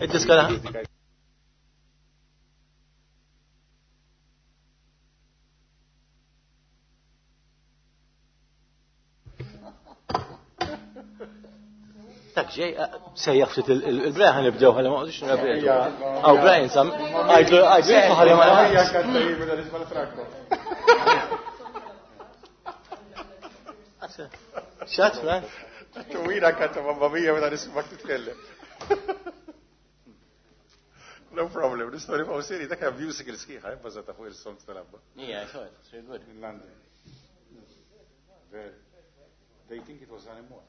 Id-diska Dak ġej, sejjaħ ftit il-Brian ħan nibdew ħalli ma qogħdux nirrepetu. Aw Brian sam, għajdlu għajdlu ħalli ma Xat, Brian? Twila kanta mamma mia meta nismak titkellem. No problem, l-istorja fuq seri dak hemm musical sħiħa eh, bbażata fuq il-songs tal-abba. Yeah, I saw it. It's very good. In London. Very. They think it was anymore.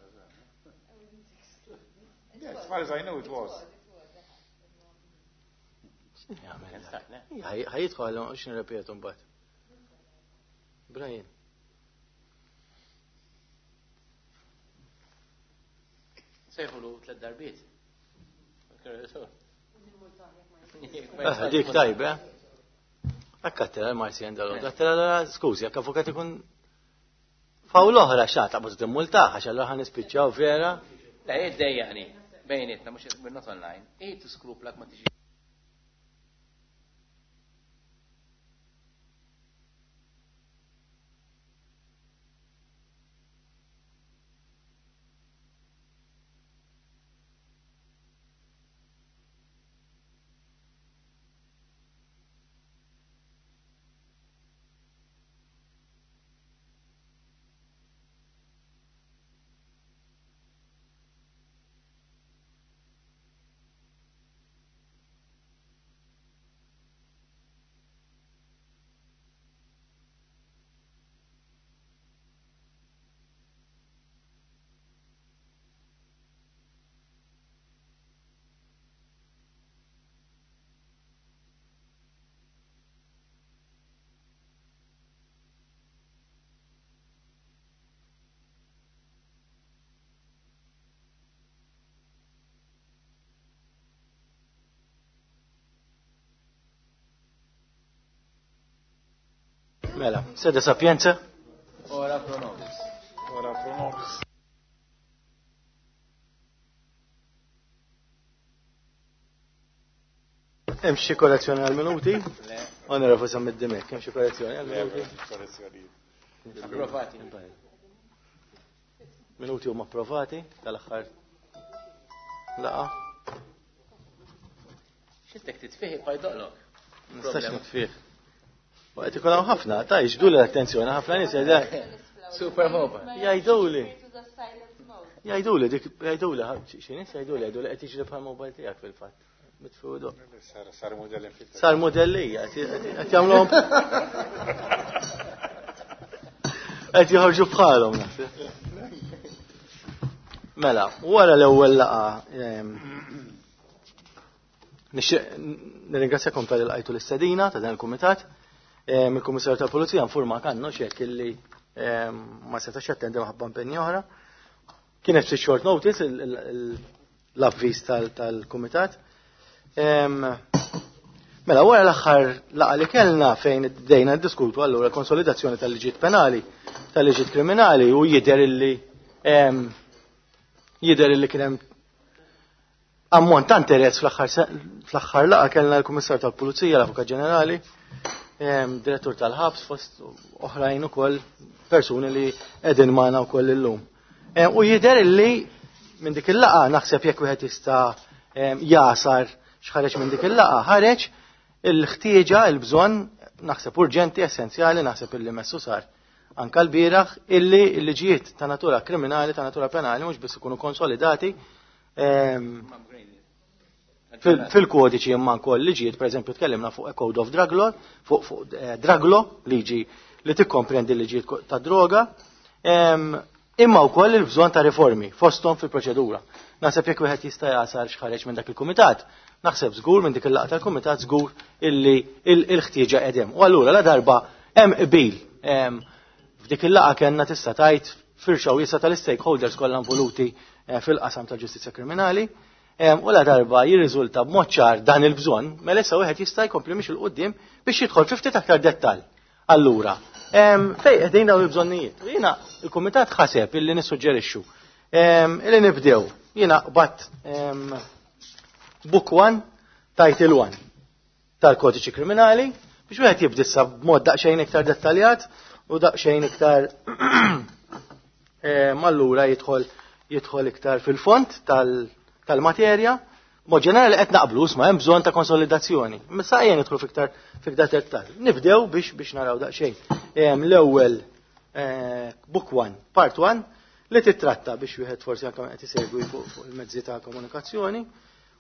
Yeah, as far as I know it was. Ħajjitħu għal x'in nirrepetu mbagħad. Brian. Sejħulu tlet darbiet. Eh, dik tajba. Eh? Akkattela l-Marsi għandha Għattela, skużi, għak avukat ikun Fawl oħra xa taqbad timmultah għax allura ħa nispiċċaw vera. Le, iddejjaqni, bejnietna mhux we're not online. Hi tiskruplak ma tiġi. Mela, sede sapienza? Ora pro nobis. Ora pro nobis. Hemm xi korrezzjoni għal minuti? Onorevoli Sammid Dimek, hemm xi korrezzjoni għal minuti? Approvati. Minuti huma approvati tal-aħħar laqa. Xittek titfih jibqa' jdoqlok. Nistax nitfih. Waqt ikun hawn ħafna, ta' jiġbdu l-attenzjoni ħafna nies Super mobile. Jgħiduli. Jgħiduli dik jgħiduli xi nies jgħiduli jgħiduli qed jiġri bħal mobile tiegħek fil-fatt. Mitfudu. Sar modelli Sar modellija, qed jagħmluhom. Qed joħorġu bħalhom naħseb. Mela, wara l-ewwel laqa ehm, nixtieq nirringrazzjakom tal lqajtu l-istedina ta' dan il-kumitat. Ehm, il-Kummissarju tal-Pulizija nfurma kannu xek illi ehm, ma setax jattendi maħabba impenni oħra. Kienet fi short notice l-avviż tal-kumitat. Mela, wara l-aħħar laqa li kellna fejn bdejna ndiskutu allura konsolidazzjoni tal-liġijiet penali, tal-liġijiet kriminali u jidher illi jidher illi kien hemm ammont ta' interess fl-aħħar laqa kellna l-Kummissar tal-Pulizija, l-Avukat Ġenerali, direttur tal-ħabs fost oħrajn ukoll persuni li qegħdin magħna wkoll illum. Eh, u jidher illi minn dik il-laqa naħseb jekk wieħed jista' eh, jasar x'ħareġ minn dik il-laqa, ħareġ il-ħtieġa, il-bżonn, naħseb urġenti, essenzjali, naħseb illi messu sar anka l-bieraħ illi l-liġijiet ta' natura kriminali, ta' natura penali, mhux biss ikunu konsolidati ehm, fil-kodiċi imma wkoll liġijiet, pereżempju tkellimna fuq a Code of Drug Law, fuq eh, Drug Law, liġi li tikkomprendi l-liġijiet ta' droga, imma wkoll il-bżonn ta' riformi fosthom fil-proċedura. Naħseb jekk wieħed jista' jasal x'ħareġ minn dak il-kumitat, naħseb żgur minn dik il-laqgħa tal-kumitat żgur illi l-ħtieġa qegħdem. U allura la darba hemm qbil f'dik il-laqgħa kellna tista' tgħid firxa wiesa tal-stakeholders kollha involuti eh, fil-qasam tal-ġustizzja kriminali. U la darba jirriżulta b'mod ċar dan il-bżonn, mela issa wieħed jista' jkompli mhix il-qudiem biex jidħol fi ftit aktar dettall. Allura, fejn qegħdin dawn il-bżonnijiet? Jiena il-kumitat ħaseb illi nissuġġerixxu illi nibdew. Jiena qbadt Book 1, Title 1 tal-Kodiċi Kriminali, biex wieħed jibdissa b'mod daqsxejn iktar dettaljat u daqsxejn iktar allura jidħol iktar fil-fond tal-materja. Mod ġenerali qed naqblu isma' hemm bżonn ta' konsolidazzjoni. Issa ejja nidħlu fiktar dettall. Nibdew biex naraw daqsxejn. L-ewwel Book 1, Part 1, li titratta biex wieħed forsi anke qed isegwi fuq il-mezzi ta' komunikazzjoni,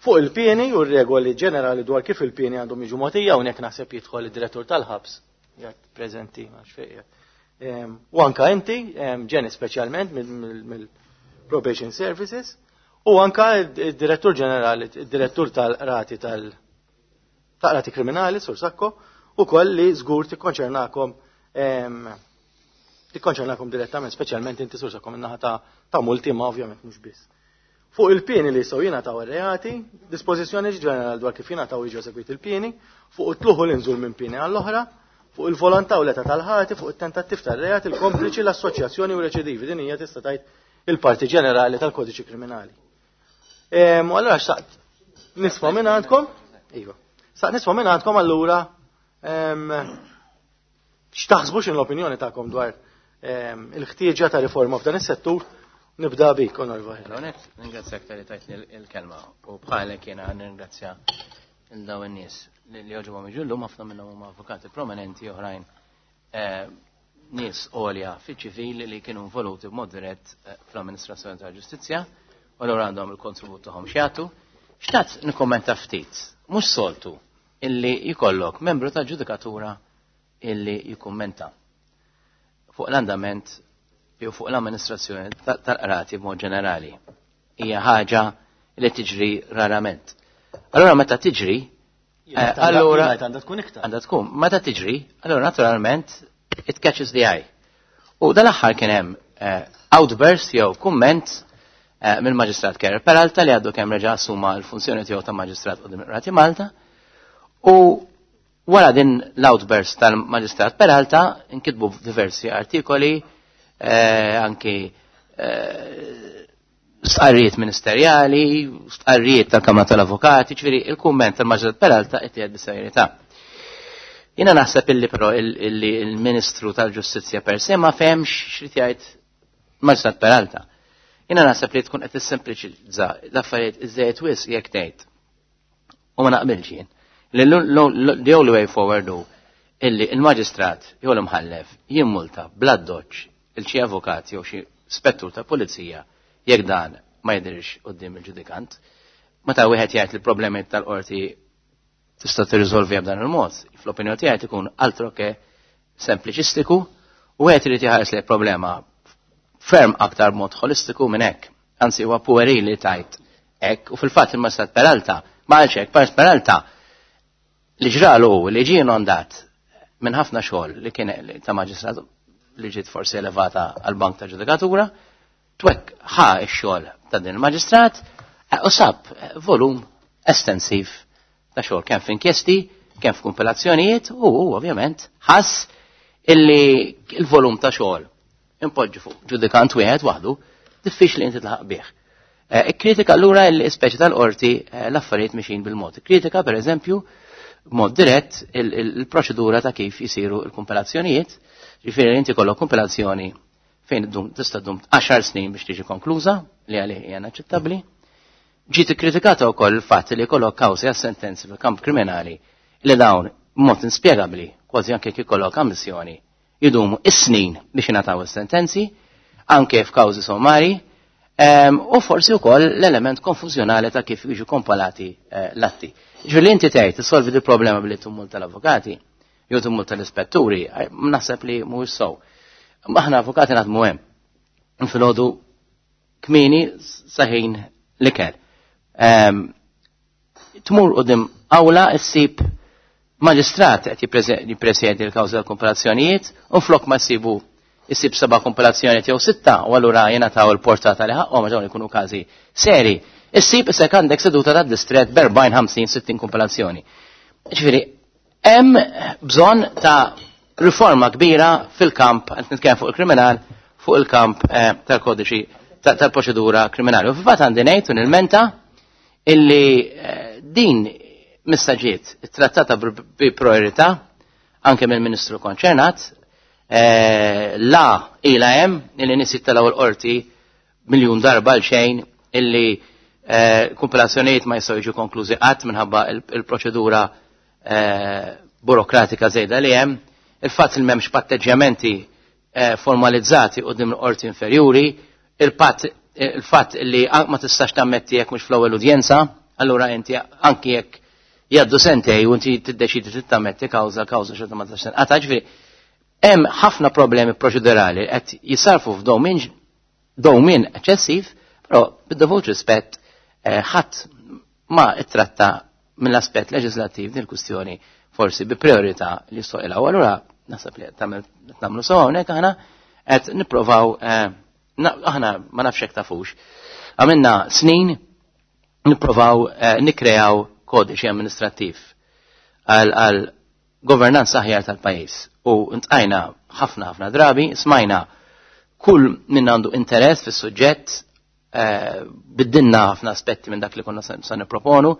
fuq il-pieni u r-regoli ġenerali dwar kif il-pieni għandhom jiġu mogħtija, hawnhekk naħseb jidħol id-direttur tal-ħabs, jgħid preżenti ma xejn. U anka inti, Ġeni speċjalment mill-Probation Services, u anka id-direttur ġenerali, id-direttur tal-qrati tal-qrati kriminali, Sur Sacco, u koll li żgur tikkonċernakom direttament, speċjalment inti Sur Sacco min-naħa ta' multi, ma ovvjament mhux biss. Fuq il-pieni li jistgħu jingħataw ir-reati, dispożizzjoni ġenerali dwar kif jingħataw jiġu eżegwiti il-pieni, fuq it-tluħu l-inżul minn pieni għall-oħra, fuq il-volontà u l-età tal-ħati, fuq it-tentattiv tar-reati, il-kompliċi, l-assoċjazzjoni u reċidivi. Din hija tista' tgħid il-parti ġenerali tal-Kodiċi Kriminali. U allura xtaqt nisma' minn għandkom? Iva. Xtaqt nisma' minn għandkom allura x'taħsbu, x'in l-opinjoni tagħkom dwar il-ħtieġa ta' riforma f'dan is-settur. Nibda bik, Onorevoli. Għonet, ningrazzjak tal-li tajtni il-kelma u bħalek jena ningrazzja il-daw in-nies li joġobhom jiġu llum, ħafna minnhom huma avukati prominenti, oħrajn nies għolja fiċ-ċivili li kienu involuti b'mod dirett fl-amministrazzjoni tal-ġustizzja u allura għandhom il-kontribut tagħhom x'jagħtu. Xtaqt nikkommenta ftit, mhux soltu illi jkollok membru ta' ġudikatura illi jikkummenta fuq l-andament jew fuq l-amministrazzjoni tal-qrati b'mod ġenerali. Hija ħaġa li tiġri rarament. Allora meta tiġri, allura għandha tkun iktar. Għandha tkun. Meta tiġri, allura naturalment it catches the eye. U dal-aħħar kien hemm outburst jew kumment mill-Maġistrat Kerrer Peralta li għaddu kemm reġa' assuma l-funzjoni tiegħu ta' Maġistrat quddiem il-Qrati Malta. U wara din l-outburst tal-Maġistrat Peralta inkitbu diversi artikoli, anki stqarrijiet ministerjali, stqarrijiet tal-Kamra tal-Avukati, ġifieri il-kumment tal-Maġistrat Peralta qed jgħid bis-serjetà. Jiena naħseb illi però illi il-Ministru tal-Ġustizzja per se ma fehmx x'rid jgħid Maġistrat Peralta. Jiena naħseb li tkun qed tissempliċizza l-affarijiet iżejjed wisq jekk tgħid. U ma naqbilx jien. Li the only way forward hu illi il-maġistrat jew l-imħallef jimmulta bla doċ il xi avukat jew xi spettur ta' pulizija jekk dan ma jidhirx quddiem il-ġudikant. Meta wieħed jgħid li problemi tal-qorti tista' tirriżolvi b'dan il-mod, fl-opinjoni tiegħi tkun altro che sempliċistiku u wieħed irid jħares li problema ferm aktar mod holistiku minn hekk. Anzi huwa puerili li tajt hekk u fil-fatt il-Maġistrat Peralta ma qalx hekk, Maġistrat Peralta li ġralu li ġie inondat minn ħafna xogħol li kien ta' maġistrat li ġiet forsi elevata għal bank ta' ġudikatura, twek ħa x-xogħol ta' din il-maġistrat u sab volum estensiv ta' xogħol kemm f'inkjesti, kemm f'kumpilazzjonijiet u ovvjament ħass illi il-volum ta' xogħol impoġġi fuq ġudikant wieħed waħdu diffiċli inti tlaħaq bih. Ikkritika allura l-ispeċi tal-qorti l-affarijiet mixin bil-mod. Kritika per eżempju b'mod dirett il-proċedura ta' kif jisiru l-kumpilazzjonijiet, ġifieri inti kollok kumpilazzjoni fejn tista' ddum 10 snin biex tiġi konkluża li għalih hija inaċċettabbli. Ġiet ikkritikata wkoll il-fatt li jkollok kawżi għas sentenzi fil-kamp kriminali li dawn b'mod inspjegabbli, kważi anke kif ikollok ammissjoni, jidumu is-snin biex jingħataw is-sentenzi, anke f'kawżi sommari, u forsi wkoll l-element konfużjonali ta' kif jiġu kompilati l-atti. Ġifieri li inti tgħid tissolvi di problema billi tummul tal-avukati, jew tummul tal-ispetturi, naħseb li mhuwiex sew. Aħna avukati naħdmu hemm. Filgħodu kmieni saħin l-ikel. Tmur quddiem awla ssib maġistrat qed jippresjedi l-kawża tal-kumpilazzjonijiet u flok ma jsibu issib 7 kumpilazzjonijiet jew 6 u allura jingħataw il-portata li ħaqhom għax dawn ikunu każi seri. Issib isek għandek seduta tad-distret b'erbgħin, 50, 60 kumpilazzjoni. Ġifieri, hemm bżonn ta' riforma kbira fil-kamp, qed nitkellem fuq il-kriminal, fuq il-kamp tal-kodiċi tal-proċedura kriminali. U fil-fatt għandi ngħid u nilmenta illi Din missa ġiet trattata bi priorità anke mill-Ministru konċernat, la ila hemm illi nies jittelgħu l-qorti miljun darba għal xejn, illi kumpilazzjonijiet ma jistgħu jiġu konklużi qatt minħabba il-proċedura burokratika żejda li hemm, il-fatt li m'hemmx patteġġjamenti formalizzati quddiem l-qorti inferjuri, il-fatt li ma tistax tammetti jekk mhux fl-ewwel udjenza, allura inti anki jekk jgħaddu sentej u inti tiddeċidi tittammetti kawża, kawża xorta ma tistax tinqata'. Ġifieri hemm ħafna problemi proċedurali qed jisarfu f'dowmin dowmin eċċessiv, però bid-dovut rispett ħadd ma ittratta mill-aspett leġislattiv din il-kwistjoni forsi bi priorità li soqilha. U allura naħseb li qed nagħmlu sew hawnhekk aħna qed nipprovaw, aħna ma nafx hekk tafux. Għamilna snin nipprovaw nikkreaw kodiċi amministrattiv għal governanza aħjar tal-pajjiż. U ntqajna ħafna ħafna drabi, smajna kull min għandu interess fis-suġġett, biddinna ħafna aspetti minn dak li konna sa nipproponu,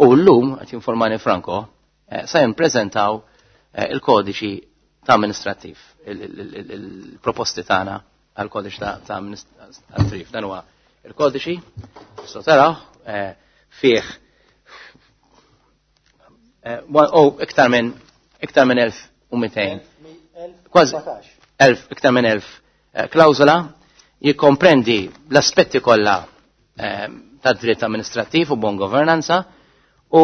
u llum qed jinformani Franco, sa jippreżentaw il-kodiċi ta' amministrattiv, il-proposti tagħna għal kodiċi ta' amministrattiv. Dan huwa il-kodiċi, tistgħu taraw, fih iktar minn 1200. Kważi 1000, iktar minn 1000 klawżola, jikkomprendi l-aspetti kollha ta' dritt amministrattiv u bon governanza, u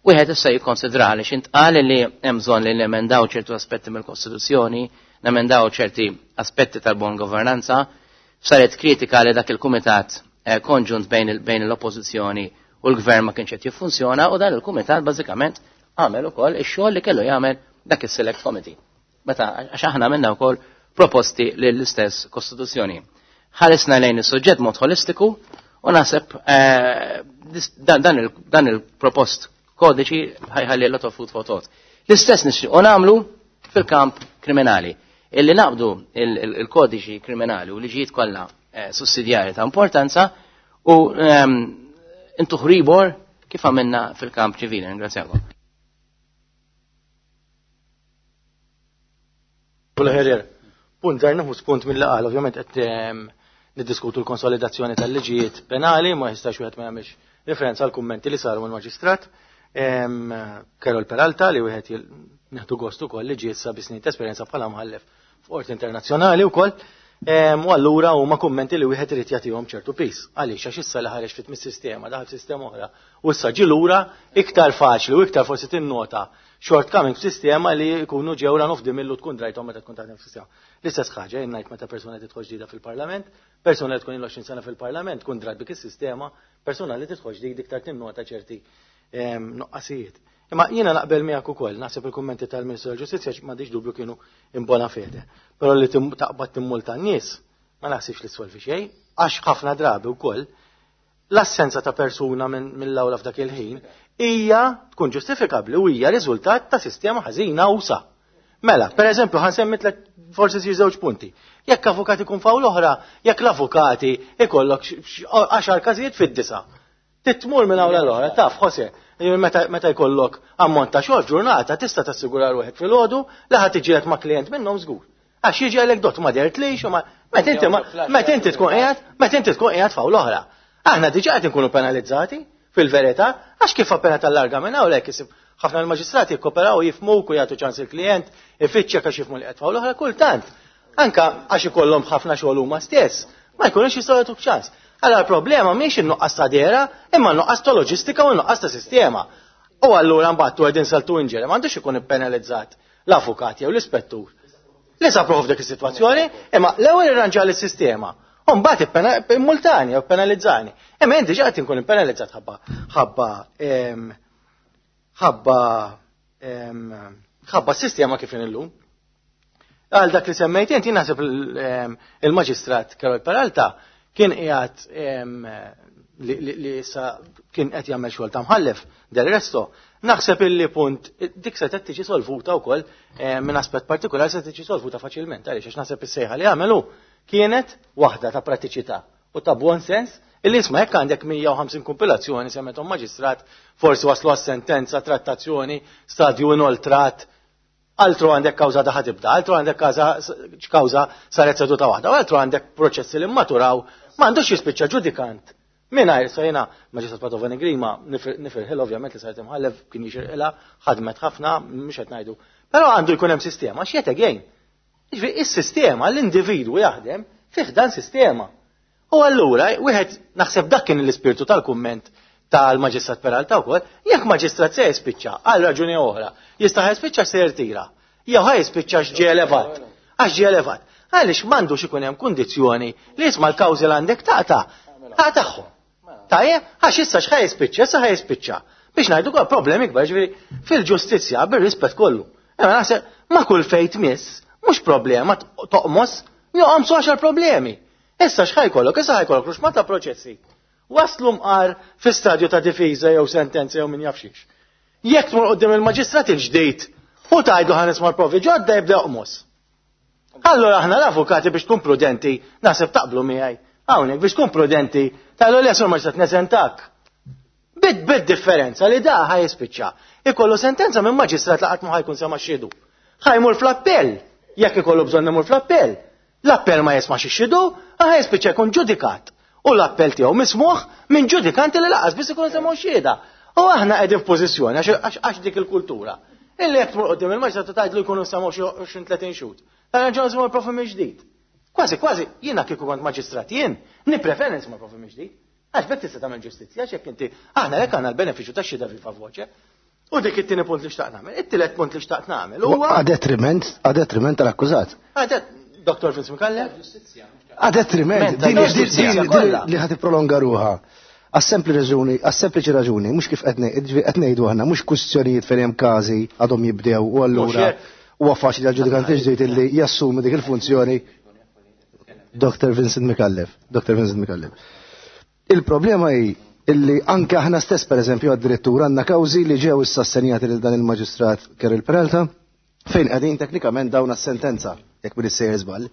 wieħed issa jikkonsidra li x'intqal li hemm bżonn li nemendaw ċertu aspetti mill-Kostituzzjoni, nemendaw ċerti aspetti tal-bon governanza. Saret kritika li dak il-kumitat konġunt bejn l-oppożizzjoni u l-gvern ma kienx qed jiffunzjona, u dan il-kumitat bażikament għamel ukoll ix-xogħol li kellu jagħmel dak is-select committee. Meta għax aħna għamilna wkoll proposti lill-istess Kostituzzjoni. Ħaresna lejn is-suġġett mod holistiku u naħseb dan il-propost kodiċi ħajħalli a lot of food for thought. L-istess nixtiequ nagħmlu fil-kamp kriminali. Illi naqbdu il-kodiċi kriminali u liġijiet kollha sussidjarji ta' importanza u intu ħribor kif għamilna fil-kamp ċivili. Ringrazzjakom. Punt, ġar nieħu spunt mill-laqal, ovvjament qed niddiskutu l-konsolidazzjoni tal-liġijiet penali, ma jistax wieħed ma jagħmilx referenza għal kummenti li saru mill-Maġistrat. Carol Peralta, li wieħed nieħdu gostu wkoll li ġiet sa bi snin ta' esperjenza bħala mħallef f'qorti internazzjonali wkoll. U allura huma kummenti li wieħed irid jagħtihom ċertu pis. Għaliex? Għax issa li ħareġ fit mis-sistema, daħal f'sistema oħra, u issa ġi lura iktar faċli u iktar forsi tinnota shortcoming f'sistema li jkunu ġew run of the mill u tkun drajthom meta tkun taħdem f'sistema. L-istess ħaġa jien ngħid meta persuna tidħol ġdida fil-Parlament, persuna li tkun ilha 20 sena fil-Parlament tkun drat bik is-sistema, persuna li tidħol ġdid iktar tinnota ċerti nuqqasijiet. Imma jiena naqbel miegħek ukoll, naħseb il-kummenti tal-Ministru tal-Ġustizzja m'għandix dubju kienu in bona fede. Però li taqbad timmulta n-nies ma naħsibx li ssolvi xejn, għax ħafna drabi wkoll l-assenza ta' persuna mill-awla f'dak il-ħin hija tkun ġustifikabbli u hija riżultat ta' sistema ħażina usa. Mela, per eżempju, ħa nsemmi tlet, forsi xi żewġ punti. Jekk avukat ikun f'awla oħra, jekk l-avukati ikollok 10 każijiet fid-9. Titmur minn awla l-oħra, taf, Jose, meta jkollok ammont ta' xogħol ġurnata tista' tassigura ruħek filgħodu li ħadd tiġielek ma' klient minnhom żgur. Għax jiġi għalek dot ma dertlix u ma meta inti ma meta inti tkun qiegħed, meta inti tkun qiegħed f'awla oħra. Aħna diġà qed inkunu penalizzati fil-verità, għax kif appena tal-larga minn hawnhekk isib ħafna l-maġistrati jikkoperaw, jifhmuk u jagħtu ċans il-klient, ifittxek għax jifhmu li qed f'awla oħra kultant. Anka għax ikollhom ħafna xogħol huma stess, ma jkunux jistgħu jagħtuk ċans. Allora l-problema mhix in-nuqqas ta' dera, imma n-nuqqas ta' loġistika u n-nuqqas ta' sistema. U allura mbagħad tu qegħdin saltu inġeri, m'għandux ikun ippenalizzat l-avukat jew l-ispettur. Li sa prof dik is-sitwazzjoni, imma l-ewwel irranġa l-sistema. U mbagħad immultani jew penalizzani. Imma inti ġa qed inkun impenalizzat ħabba s-sistema kif illum. Għal dak li semmejt inti, naħseb il-Maġistrat Carol Peralta kien qiegħed li issa kien qed jagħmel xogħol ta' mħallef del resto. Naħseb illi punt dik se tiġi solvuta wkoll minn aspett partikolari, se tiġi solvuta faċilment, għaliex għax naħseb is-sejħa li għamelu kienet waħda ta' pratiċità u ta' buon sens. Illi isma' jekk għandek 150 kompilazzjoni semmetom maġistrat, forsi waslu għas-sentenza, trattazzjoni, stadju inoltrat, altru għandek kawża daħa tibda, altru għandek kawża saret seduta waħda, u altru għandek proċessi li maturaw, m'għandux jispiċċa ġudikant. Mingħajr sa jiena Maġistrat Padovani Grima nifirħil ovvjament li saret imħallef kien jixirqilha, ħadmet ħafna, mhux qed ngħidu. Però għandu jkun hemm sistema, x'qed again. Jiġifieri is-sistema l-individwu jaħdem fih dan sistema. U allura wieħed naħseb dak kien l-ispirtu tal-kumment tal-Maġistrat Peralta wkoll, jekk maġistrat se jispiċċa għal raġuni oħra, jista' jispiċċa se jirtira. Jew ħa jispiċċa x'ġie elevat. Għax ġie elevat. Għaliex m'għandux ikun hemm kundizzjoni li jisma' l-kawżi l għandek taqta' taqtagħhom. Tajjeb, għax issa x'ħa jispiċċa, issa ħa jispiċċa. Biex ngħidu kol problemi kbar ġifieri fil-ġustizzja bir-rispett kollu. Imma naħseb ma' kull fejn tmiss, mhux problema toqmos, joqomsu għaxar problemi. Issa x'ħa jkollok, issa ħa jkollok ruxma ta' proċessi. Waslu mqar fi stadju ta' difiża jew sentenza jew min jaf xiex. Jekk tmur quddiem il-maġistrat il-ġdid u tgħidlu ħa nisma' l-provi ġodda jibda joqmos. Allora aħna l-avukati biex tkun prudenti, naħseb taqblu miegħi. Hawnhekk biex tkun prudenti, tgħidu le sur maġistrat neżentak. Bid bid differenza li da ħa jispiċċa. Ikollu sentenza minn maġistrat li qatt ma ħajkun sema' xhidu. Ħa jmur fl-appell, jekk ikollu bżonn imur fl-appell. L-appell ma jismax ix-xhidu, ħa jispiċċa jkun ġudikat. U l-appell tiegħu mismuħ minn ġudikanti li laqas biss ikunu semgħu xhieda. U aħna qegħdin f'pożizzjoni għax dik il-kultura. Illi jekk tmur quddiem il-maġistrat u tgħidlu jkunu semgħu xi 20-30 xhud. Dan nerġgħu nisimgħu l-profi mill-ġdid. Kważi kważi jiena kieku kont maġistrat jien, nippreferi nisma' l-profi mill-ġdid. Għax b'hekk tista' tagħmel ġustizzja għax jekk inti aħna hekk għandna l-benefiċċju tax-xhieda viva voce. U dik it-tieni punt li xtaqt nagħmel. It-tielet punt li xtaqt nagħmel huwa A detriment, a detriment tal-akkużat. Dr. Vince Micallef? A detriment, din li ħad prolonga ruħha. Għas-sempli raġuni, għas-sempliċi raġuni, mhux kif qed ngħidu aħna, mhux kwistjonijiet fejn hemm każi għadhom jibdew u allura huwa faċli għall-ġudikanti ġdid illi jassumi dik il-funzjoni. Dr. Vincent Micallef, Dr. Vincent Micallef. Il-problema hi illi anke aħna stess pereżempju għad-direttur għandna kawżi li ġew issa assenjati lil dan il-maġistrat Keril Peralta fejn qegħdin teknikament dawn għas-sentenza jekk m'iniex sejjer żball.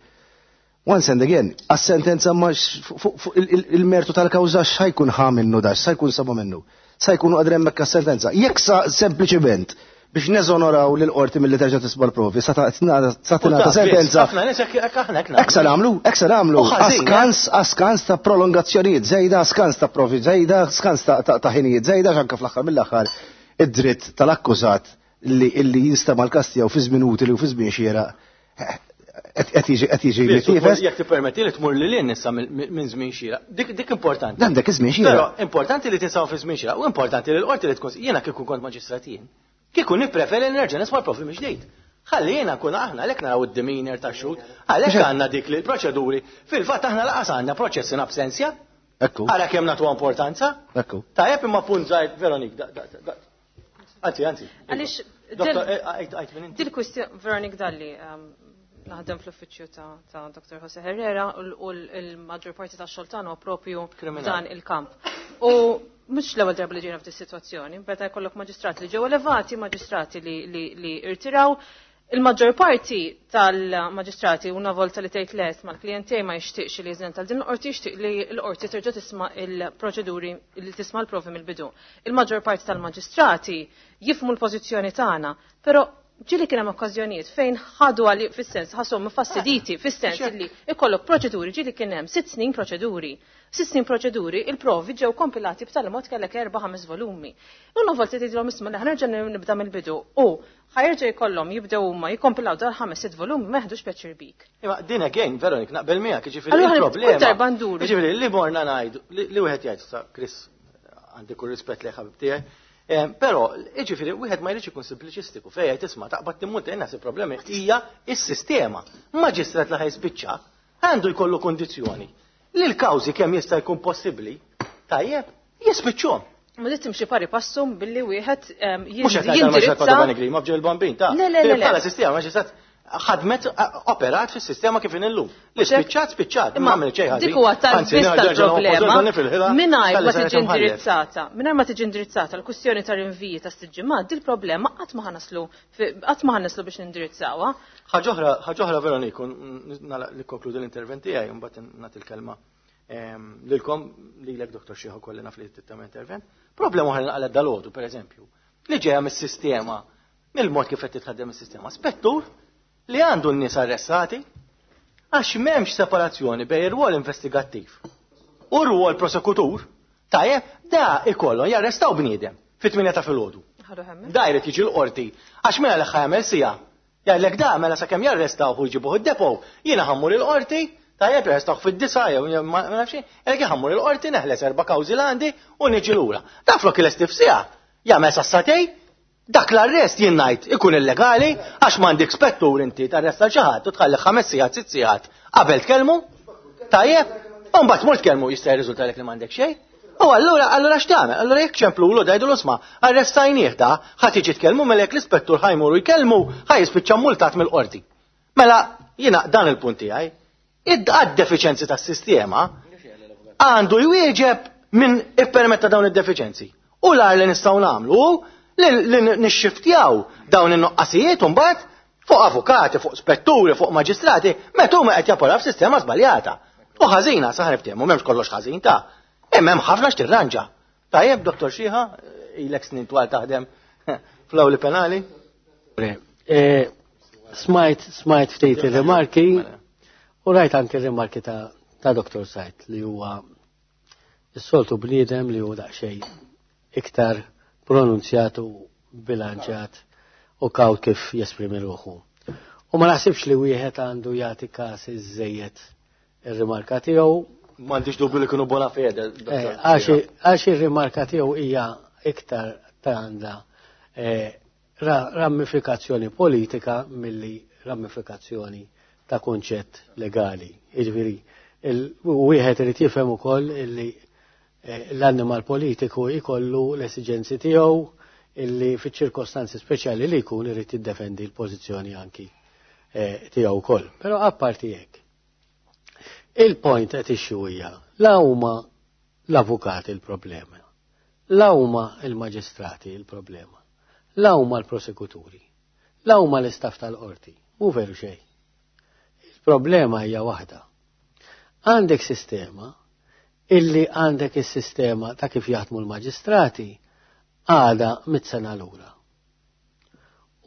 Once and again, għas-sentenza ma fuq il-mertu tal-kawża x'ħajkun ħa minnu da, x'sa jkun sabu minnu. Sa jkunu qegħdin hemmhekk għas-sentenza. Jekk sa sempliċiment biex neżonoraw lil qorti milli terġa' tisma' l-provi, sa tingħata sentenza. Ħafna nies hekk aħna hekk Hekk sa nagħmlu, hekk sa nagħmlu. Askans, askans ta' prolongazzjonijiet żejda, askans ta' provi żejda, askans ta' ħinijiet żejda, anke fl-aħħar mill-aħħar id-dritt tal-akkużat li illi jinstema' l-każ tiegħu fi żmien utili u fi żmien xieraq qed jiġi qed jiġi mittiefes. Jekk tippermetti li tmur lil hinn issa minn żmien xieraq. Dik importanti. Dan dak iż-żmien xieraq. Però importanti li tinsaw fi żmien xieraq u importanti li l-qorti li tkun jiena kieku kont maġistrat jien. Kieku nippreferi li nerġa' nisma' l-provi mill-ġdid. Ħalli jiena nkun aħna għalhekk naraw id-demeanor tax-xhud, għalhekk għandna dik li l-proċeduri fil-fatt aħna laqas għandna proċess in absentia. Ekku. Ara kemm nagħtuha importanza. Ekku. Tajjeb imma punt żgħir Veronik. Anzi, anzi. Għaliex dil-kwistjoni Veronik Dalli naħdem fl-uffiċċju ta' Dr. Jose Herrera u l-maġġor parti tax-xogħol tagħna huwa propju dan il-kamp. U mhux l-ewwel darba li ġejna f'din is-sitwazzjoni, meta jkollok maġistrati li ġew elevati, maġistrati li irtiraw, il-maġġor parti tal-maġistrati una volta li tgħid les mal-klient tiegħi ma jixtieqx li jeżenta din l-qorti jixtieq li l-qorti terġa' tisma' il-proċeduri li tisma' l-provi mill-bidu. Il-maġġor parti tal-maġistrati jifhmu l-pożizzjoni tagħna, però ġieli kien hemm okkażjonijiet fejn ħadu għali fis-sens ħasshom mfastiditi fis-sens li ikollok proċeduri ġieli kien hemm 6 snin proċeduri. 6 snin proċeduri, il-provi ġew kompilati b'tali mod kellek 4-5 volumi. Una volta tgħidilhom isma' li ħanerġa' nibda mill-bidu u ħajerġa' jkollhom jibdew huma jikkompilaw dal 5-6 volumi ma jeħdux pjaċir bik. Imma din again, Veronik, naqbel miegħek, jiġifieri Allura il-problema. kull darba nduru. Jiġifieri li morna ngħidu, li wieħed jgħid sa Chris għandi kull rispett li ħabib tiegħi. Però, jiġifieri wieħed ma jridx ikun simpliċistiku fejn jgħid isma' taqbad timmunta jien naħseb problemi hija s-sistema. Maġistrat li ħajspiċċa għandu jkollu kondizzjoni li l-kawżi kemm jista' jkun possibbli, tajjeb, jispiċċhom. Ma dit timxi pari passum billi wieħed Mhux qed ngħid għal-maġistrat jindirizza. Padovani Grima f'ġel bambin ta' Le, le, le, le. Bħala sistema maġistrat ħadmet operat fis-sistema kif illum. Li spiċċat, spiċċat, ma għamel xejn ħażin. Dik huwa Anzi, tal-biss nerġa' tal-problema. nerġa' nifilħilha, Mingħajr tal-li ma saret tiġi imħallef. indirizzata, mingħajr ma tiġi indirizzata l-kwistjoni ta' rinviji ta' sitt ġimgħat, dil problema qatt ma ħanaslu qatt ma ħanaslu biex nindirizzawha. Ħaġa oħra, ħaġa oħra Veroniku, nagħlaq li konkludi l-intervent tiegħi u mbagħad nagħti l-kelma. Lilkom, lilek Dr. Xieħu kolli naf li tagħmel intervent. Problema oħra li nqalgħet dalgħodu, pereżempju, li ġejja mis-sistema, mill-mod kif qed titħaddem is-sistema. Spettur li għandu n-nies arrestati għax m'hemmx separazzjoni bejn ir-rwol investigattiv u r-rwol prosekutur, tajjeb, da ikollhom jarrestaw bniedem fit-8 ta' filgħodu. Da jrid jiġi l-qorti għax mela li jagħmel sija. Jgħidlek da mela sakemm jarrestaw u jġibuh id-depo, jiena ħammur il-qorti, tajjeb jarrestaw fid-9 jew ma nafx, jgħidlek ħammur il-qorti neħles erba' kawżi l għandi u niġi lura. Da flok il-estif sija, jagħmel sassatej, dak l-arrest jien ngħid ikun illegali għax m'għandek spettur inti tarresta xi ħadd u tħalli 5 sigħat, 6 sigħat qabel tkellmu. Tajjeb, u mbagħad tmur tkellmu jista' jirriżulta li m'għandek xejn. U allura x'tagħmel? Allura jekk ċemplulu dajdu l-isma, arrestajnieh da, ħadd jiġi tkellmu mela jekk l-ispettur ħajmuru jkellmu, ħaj jispiċċa multat mill-qorti. Mela jiena dan il-punt tiegħi. Id-defiċenzi tas-sistema għandu jwieġeb min ippermetta dawn id-defiċenzi. U l-ar li nistgħu nagħmlu li nixxiftjaw dawn in-nuqqasijiet mbagħad fuq avukati, fuq spetturi, fuq maġistrati, meta huma qed japporaw f'sistema żbaljata. U ħażina, saħ niftehmu, m'hemmx kollox ħażin ta' imma hemm ħafna x'tirranġa. Tajjeb, Dottor Xiħa, ilek snin twal taħdem fl-awli penali. Smajt ftit ir-rimarki u rajt anke ir-rimarki ta' Dr. Sajt li huwa s-soltu bniedem li huwa daqsxejn iktar pronunzjat u bilanċjat u kawt kif jesprimi ruħu. U ma naħsibx li wieħed għandu jagħti każ iżejjed ir-rimarka tiegħu. M'għandix dubju li kienu bona fede. Għax ir-rimarka tiegħu hija iktar ta' għandha rammifikazzjoni politika milli rammifikazzjoni ta' kunċett legali. Jiġifieri, wieħed irid jifhem ukoll illi l-annimal politiku jkollu l-esiġenzi tiegħu illi fiċ-ċirkostanzi speċjali li jkun irid jiddefendi l-pożizzjoni anki tiegħu wkoll. Però apparti hekk, il-point qed issue hija la huma l-avukati il-problema, la huma il-maġistrati il-problema, la huma l-prosekuturi, la huma l-istaff tal-qorti, mhu veru xejn. Il-problema hija waħda. Għandek sistema illi għandek is-sistema ta' kif jaħdmu l-maġistrati għada mit-sena lura.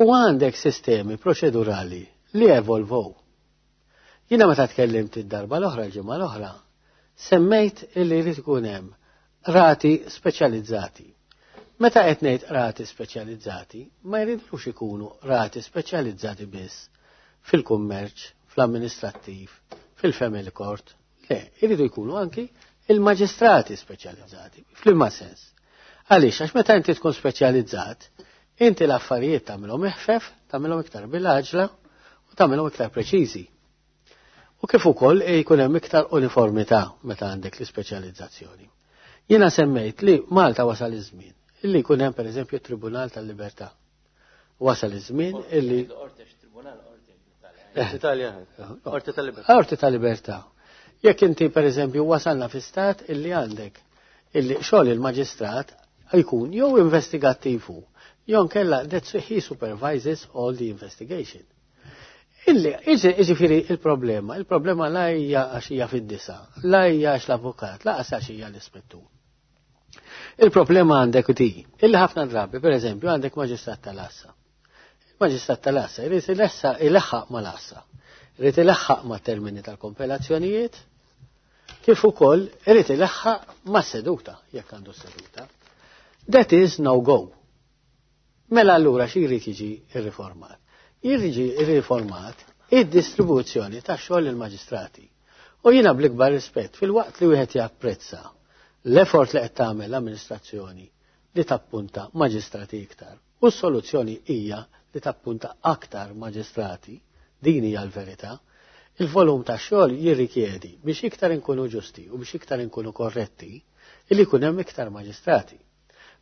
U għandek sistemi proċedurali li evolvow. Jiena meta tkellimt id-darba l-oħra, l-ġimgħa l-oħra, semmejt illi jrid ikun hemm rati speċjalizzati. Meta qed ngħid rati speċjalizzati, ma jridux ikunu rati speċjalizzati biss fil-kummerċ, fl-amministrattiv, fil-family court. Le, jridu jkunu anki il-maġistrati speċjalizzati. F'liema sens? Għaliex, għax meta inti tkun speċjalizzat, inti l-affarijiet tagħmilhom eħfef, tagħmilhom iktar bil-għaġla u tagħmilhom iktar preċiżi. U kif ukoll jkun hemm iktar uniformità meta għandek l-ispeċjalizzazzjoni. Jiena semmejt li Malta wasal iż-żmien illi jkun hemm pereżempju Tribunal tal-Libertà. Wasal iż-żmien illi Italja, Qorti tal-Libertà. Qorti tal-Libertà. Jekk inti pereżempju wasalna fi stat illi għandek illi xogħol il-maġistrat jkun jew investigattivu jew nkella that he supervises all the investigation. Illi, iġifieri il-problema la hija għax hija fid-disa, la hija għax l-avukat, la għax hija l-ispettur. Il-problema għandek di, illi ħafna drabi, per eżempju, għandek maġistrat tal-assa. Il-maġistrat tal-assa jrid ileħħaq mal-assa, jrid ileħħaq ma' termini tal-kompilazzjonijiet, kif ukoll irid ileħħaq ma' seduta, jekk għandu seduta. That is no go. Mela allura xi jrid jiġi irriformat? Jiġi irriformat id-distribuzzjoni ta' xogħol il-maġistrati. U jiena bl-ikbar rispett fil-waqt li wieħed japprezza l-effort li qed tagħmel l-amministrazzjoni li tappunta maġistrati iktar. U s-soluzzjoni hija li tappunta aktar maġistrati, din hija l-verità. Il-volum ta' xogħol jirrikjedi biex iktar inkunu ġusti u biex iktar inkunu korretti illi jkun hemm iktar maġistrati.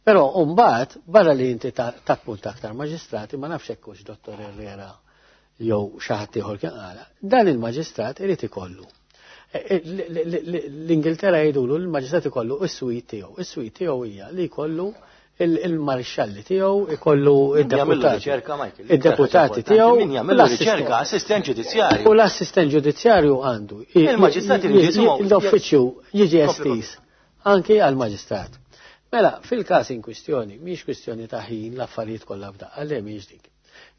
Però mbagħad barra li inti tappunta aktar maġistrati, ma nafx hekk hux Dottor Herrera jew xi ħadd ieħor kien qala, dan il-maġistrat irid ikollu. L-Ingilterra jgħidulu l-maġistrat ikollu is-suite tiegħu. Is-suite tiegħu hija li jkollu il-marixxalli tiegħu, ikollu id-deputati. Id-deputati tiegħu. Min jagħmel riċerka, assistent ġudizzjarju. U l-assistent ġudizzjarju għandu. Il-maġistrati l-uffiċċju jiġi estiż anki għal-maġistrat. Mela, fil-każ in kwistjoni, mhix kwistjoni ta' ħin l-affarijiet kollha f'daqqa, le mhix dik.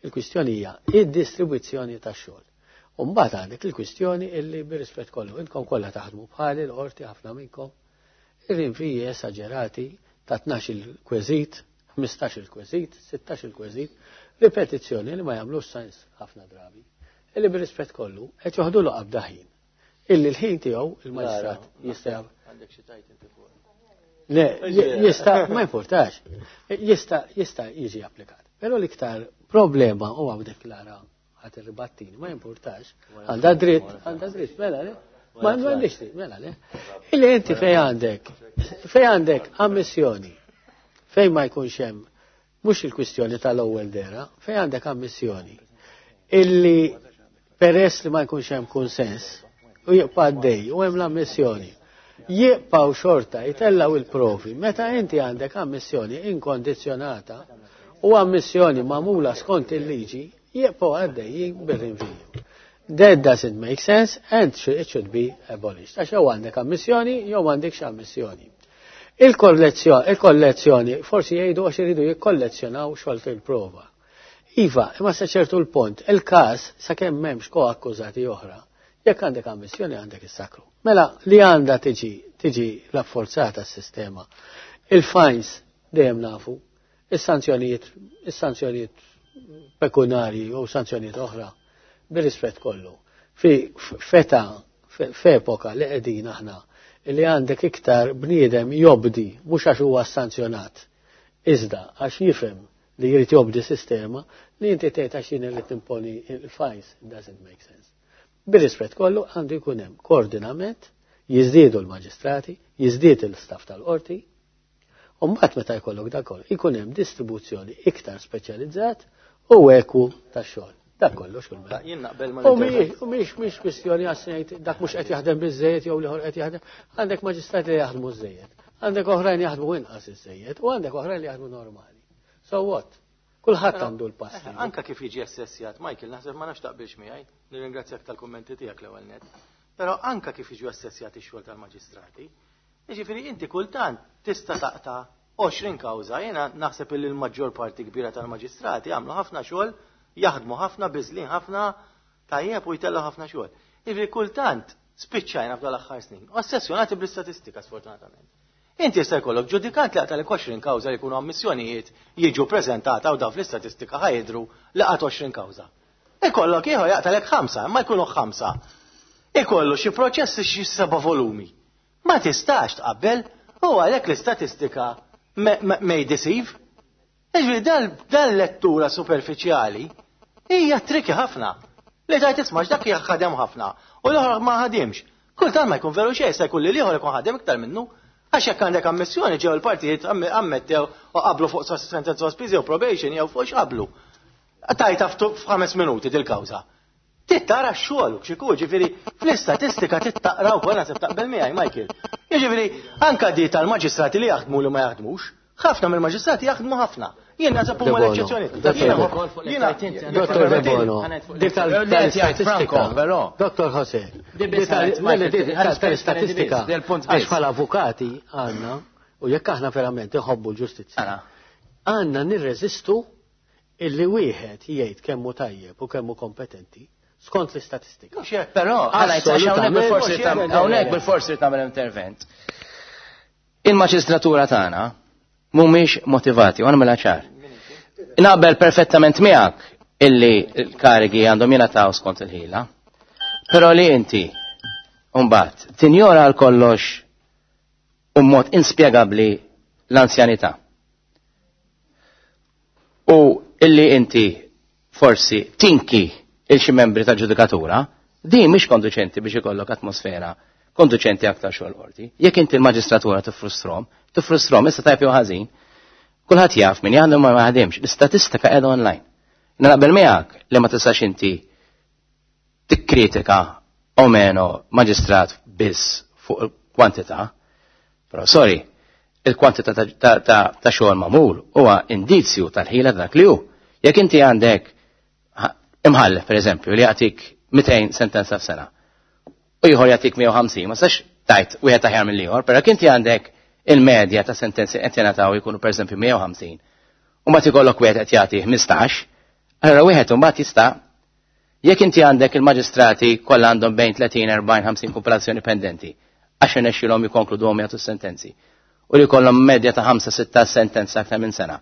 Il-kwistjoni hija id-distribuzzjoni tax-xogħol. U mbagħad għandek il-kwistjoni illi bir-rispett kollu intkom kollha taħdmu bħali l-qorti ħafna minnkom ir-rinviji esaġerati ta' 12 il-kweżit, 15 il-kweżit, 16 il-kweżit, ripetizzjoni li ma jagħmlux sens ħafna drabi. Illi bir-rispett kollu qed joħdulu qabda ħin. Illi l-ħin tiegħu il-maġistrat jista' Għandek xi tajt inti fuq. Le, jista' ma importax. Jista' jista' jiġi applikat. Però l-iktar problema huwa b'dik lara ħadd irribattini, ma importax. Għandha dritt, għandha dritt, mela le. Ma għandix dritt, mela le. Illi inti fej għandek, fej għandek ammissjoni, fejn ma jkunx hemm mhux il-kwistjoni tal-ewwel dera, fejn għandek ammissjoni illi peress li ma jkunx hemm kunsens u jibqa' għaddej u hemm l-ammissjoni. Jibqgħu xorta jtellgħu il-provi meta inti għandek ammissjoni inkondizzjonata u ammissjoni magħmula skont il-liġi jibqgħu għaddejjin bir-rinviju. That doesn't make sense and it should be abolished. Għax jew għandek ammissjoni jew m'għandekx ammissjoni. Il-kollezzjoni, forsi jgħidu għax iridu jikkollezzjonaw xogħol il-prova. Iva, imma sa ċertu l-punt, il-każ sakemm m'hemmx koakkużati oħra, jekk għandek ammissjoni għandek is-sakru. Mela li għandha tiġi tiġi rafforzata s-sistema. Il-fines dejjem nafu, is-sanzjonijiet is-sanzjonijiet pekunarji u sanzjonijiet oħra bir-rispett kollu. Fi feta f'epoka li qegħdin aħna li għandek iktar bniedem jobdi mhux għax huwa sanzjonat, iżda għax jifhem li jrid jobdi sistema li inti tgħid għax jien irid nimponi il-fines doesn't make sense. Bir-rispett kollu għandu jkun hemm koordinament, jiżdiedu l-maġistrati, jiżdied il-staff tal-qorti, u mbagħad meta jkollok dak kollu jkun hemm distribuzzjoni iktar speċjalizzat u eku tax-xogħol. Dak kollox kull mela. Jien naqbel ma U mhix mhix kwistjoni għax ngħid dak mhux qed jaħdem biżejjed jew l-ieħor qed jaħdem. Għandek maġistrati li jaħdmu żejjed, għandek oħrajn jaħdmu inqas iżejjed u għandek oħrajn li jaħdmu normali. So what? Kulħadd għandu l-pass. Anka kif jiġi assessjat, Michael, naħseb ma nafx taqbilx miegħi, nirringrazzjak tal-kummenti tiegħek l-ewwel net. Però anka kif jiġu assessjati x-xogħol tal-maġistrati, jiġifieri inti kultant tista' taqta' 20 kawża, jiena naħseb li l-maġġor parti kbira tal-maġistrati għamlu ħafna xogħol, jaħdmu ħafna, biżlin ħafna, tajjeb u jtellgħu ħafna xogħol. Jiġifieri kultant spiċċajna f'dal aħħar snin, ossessjonati bl-istatistika sfortunatament. Inti jista' jkollok ġudikant li qata' 20 kawża li jkunu ammissjonijiet jiġu preżentata u daw fl-istatistika ħa jidhru li qata' 20 kawża. Ikollok ieħor jaqtalek ħamsa, ma jkunu ħamsa. Ikollu xi proċessi xi seba' volumi. Ma tistax tqabbel u għalhekk l-istatistika may deceive. Jiġifieri dal lettura superfiċjali hija tricky ħafna. Li tajt isma' dak ħadem ħafna u l-oħra ma ħadimx. Kultant ma jkun veru xejn, se jkun li l-ieħor ikun ħadem iktar minnu. Għax jekk għandek ammissjoni ġew il-partijiet ammettew u qablu fuq sentenza sospiżi u probation jew fuq x'qablu. Tajta f'5 minuti dil-kawża. Tittara x-xogħol x'iku, ġifieri fl-istatistika tittaqra wkoll naħseb taqbel miegħi Michael. Jiġifieri anka di tal-maġistrati li jaħdmu li ma jaħdmux, ħafna mill-maġistrati jaħdmu ħafna. Jien naħseb huma l-eċċezzjoni. Dottor Debono, dik tal-istatistika, Dottor Jose, tal-istatistika, għax bħala avukati għandna, u jekk aħna verament iħobbu l-ġustizzja, għandna nirreżistu illi wieħed jgħid kemmu tajjeb u kemmu kompetenti skont l-istatistika. Però, hawnhekk bil-forsi tagħmel intervent. Il-maġistratura tagħna mhumiex motivati, u għamilha ċar. Naqbel perfettament miegħek illi l-karigi għandhom jingħataw skont il-ħila. Però li inti mbagħad tinjora għal kollox u mod inspjegabbli l-anzjanità. U illi inti forsi tinki il xi membri ta' ġudikatura, din mhix konduċenti biex ikollok atmosfera konduċenti aktar xogħol qorti. Jekk inti l-maġistratura tiffrustrom, tiffrustrom issa tajb jew ħażin, kulħadd jaf min jaħdem ma jaħdimx, l-istatistika qiegħda online. Naqbel miegħek li ma tistax inti tikkritika o meno maġistrat biss fuq il-kwantità, però sorry, Il-kwantità ta' xogħol magħmul huwa indizju tal-ħila dak li hu. Jekk inti għandek imħallef, pereżempju, li jagħtik 200 sentenza f'sena u ieħor jagħtik 150, ma sax tajt wieħed aħjar mill-ieħor, però jekk inti għandek il-medja ta' sentenzi qed jingħataw jkunu pereżempju 150, u mbagħad ikollok wieħed qed jagħti 15, allura wieħed imbagħad jista' jekk inti għandek il-maġistrati kollha għandhom bejn 30, 40, 50 kumpilazzjoni pendenti, għax irnexxielhom jikkonkluduhom jagħtu s-sentenzi. U li jkollhom medja ta' 5-6 sentenza aktar minn sena.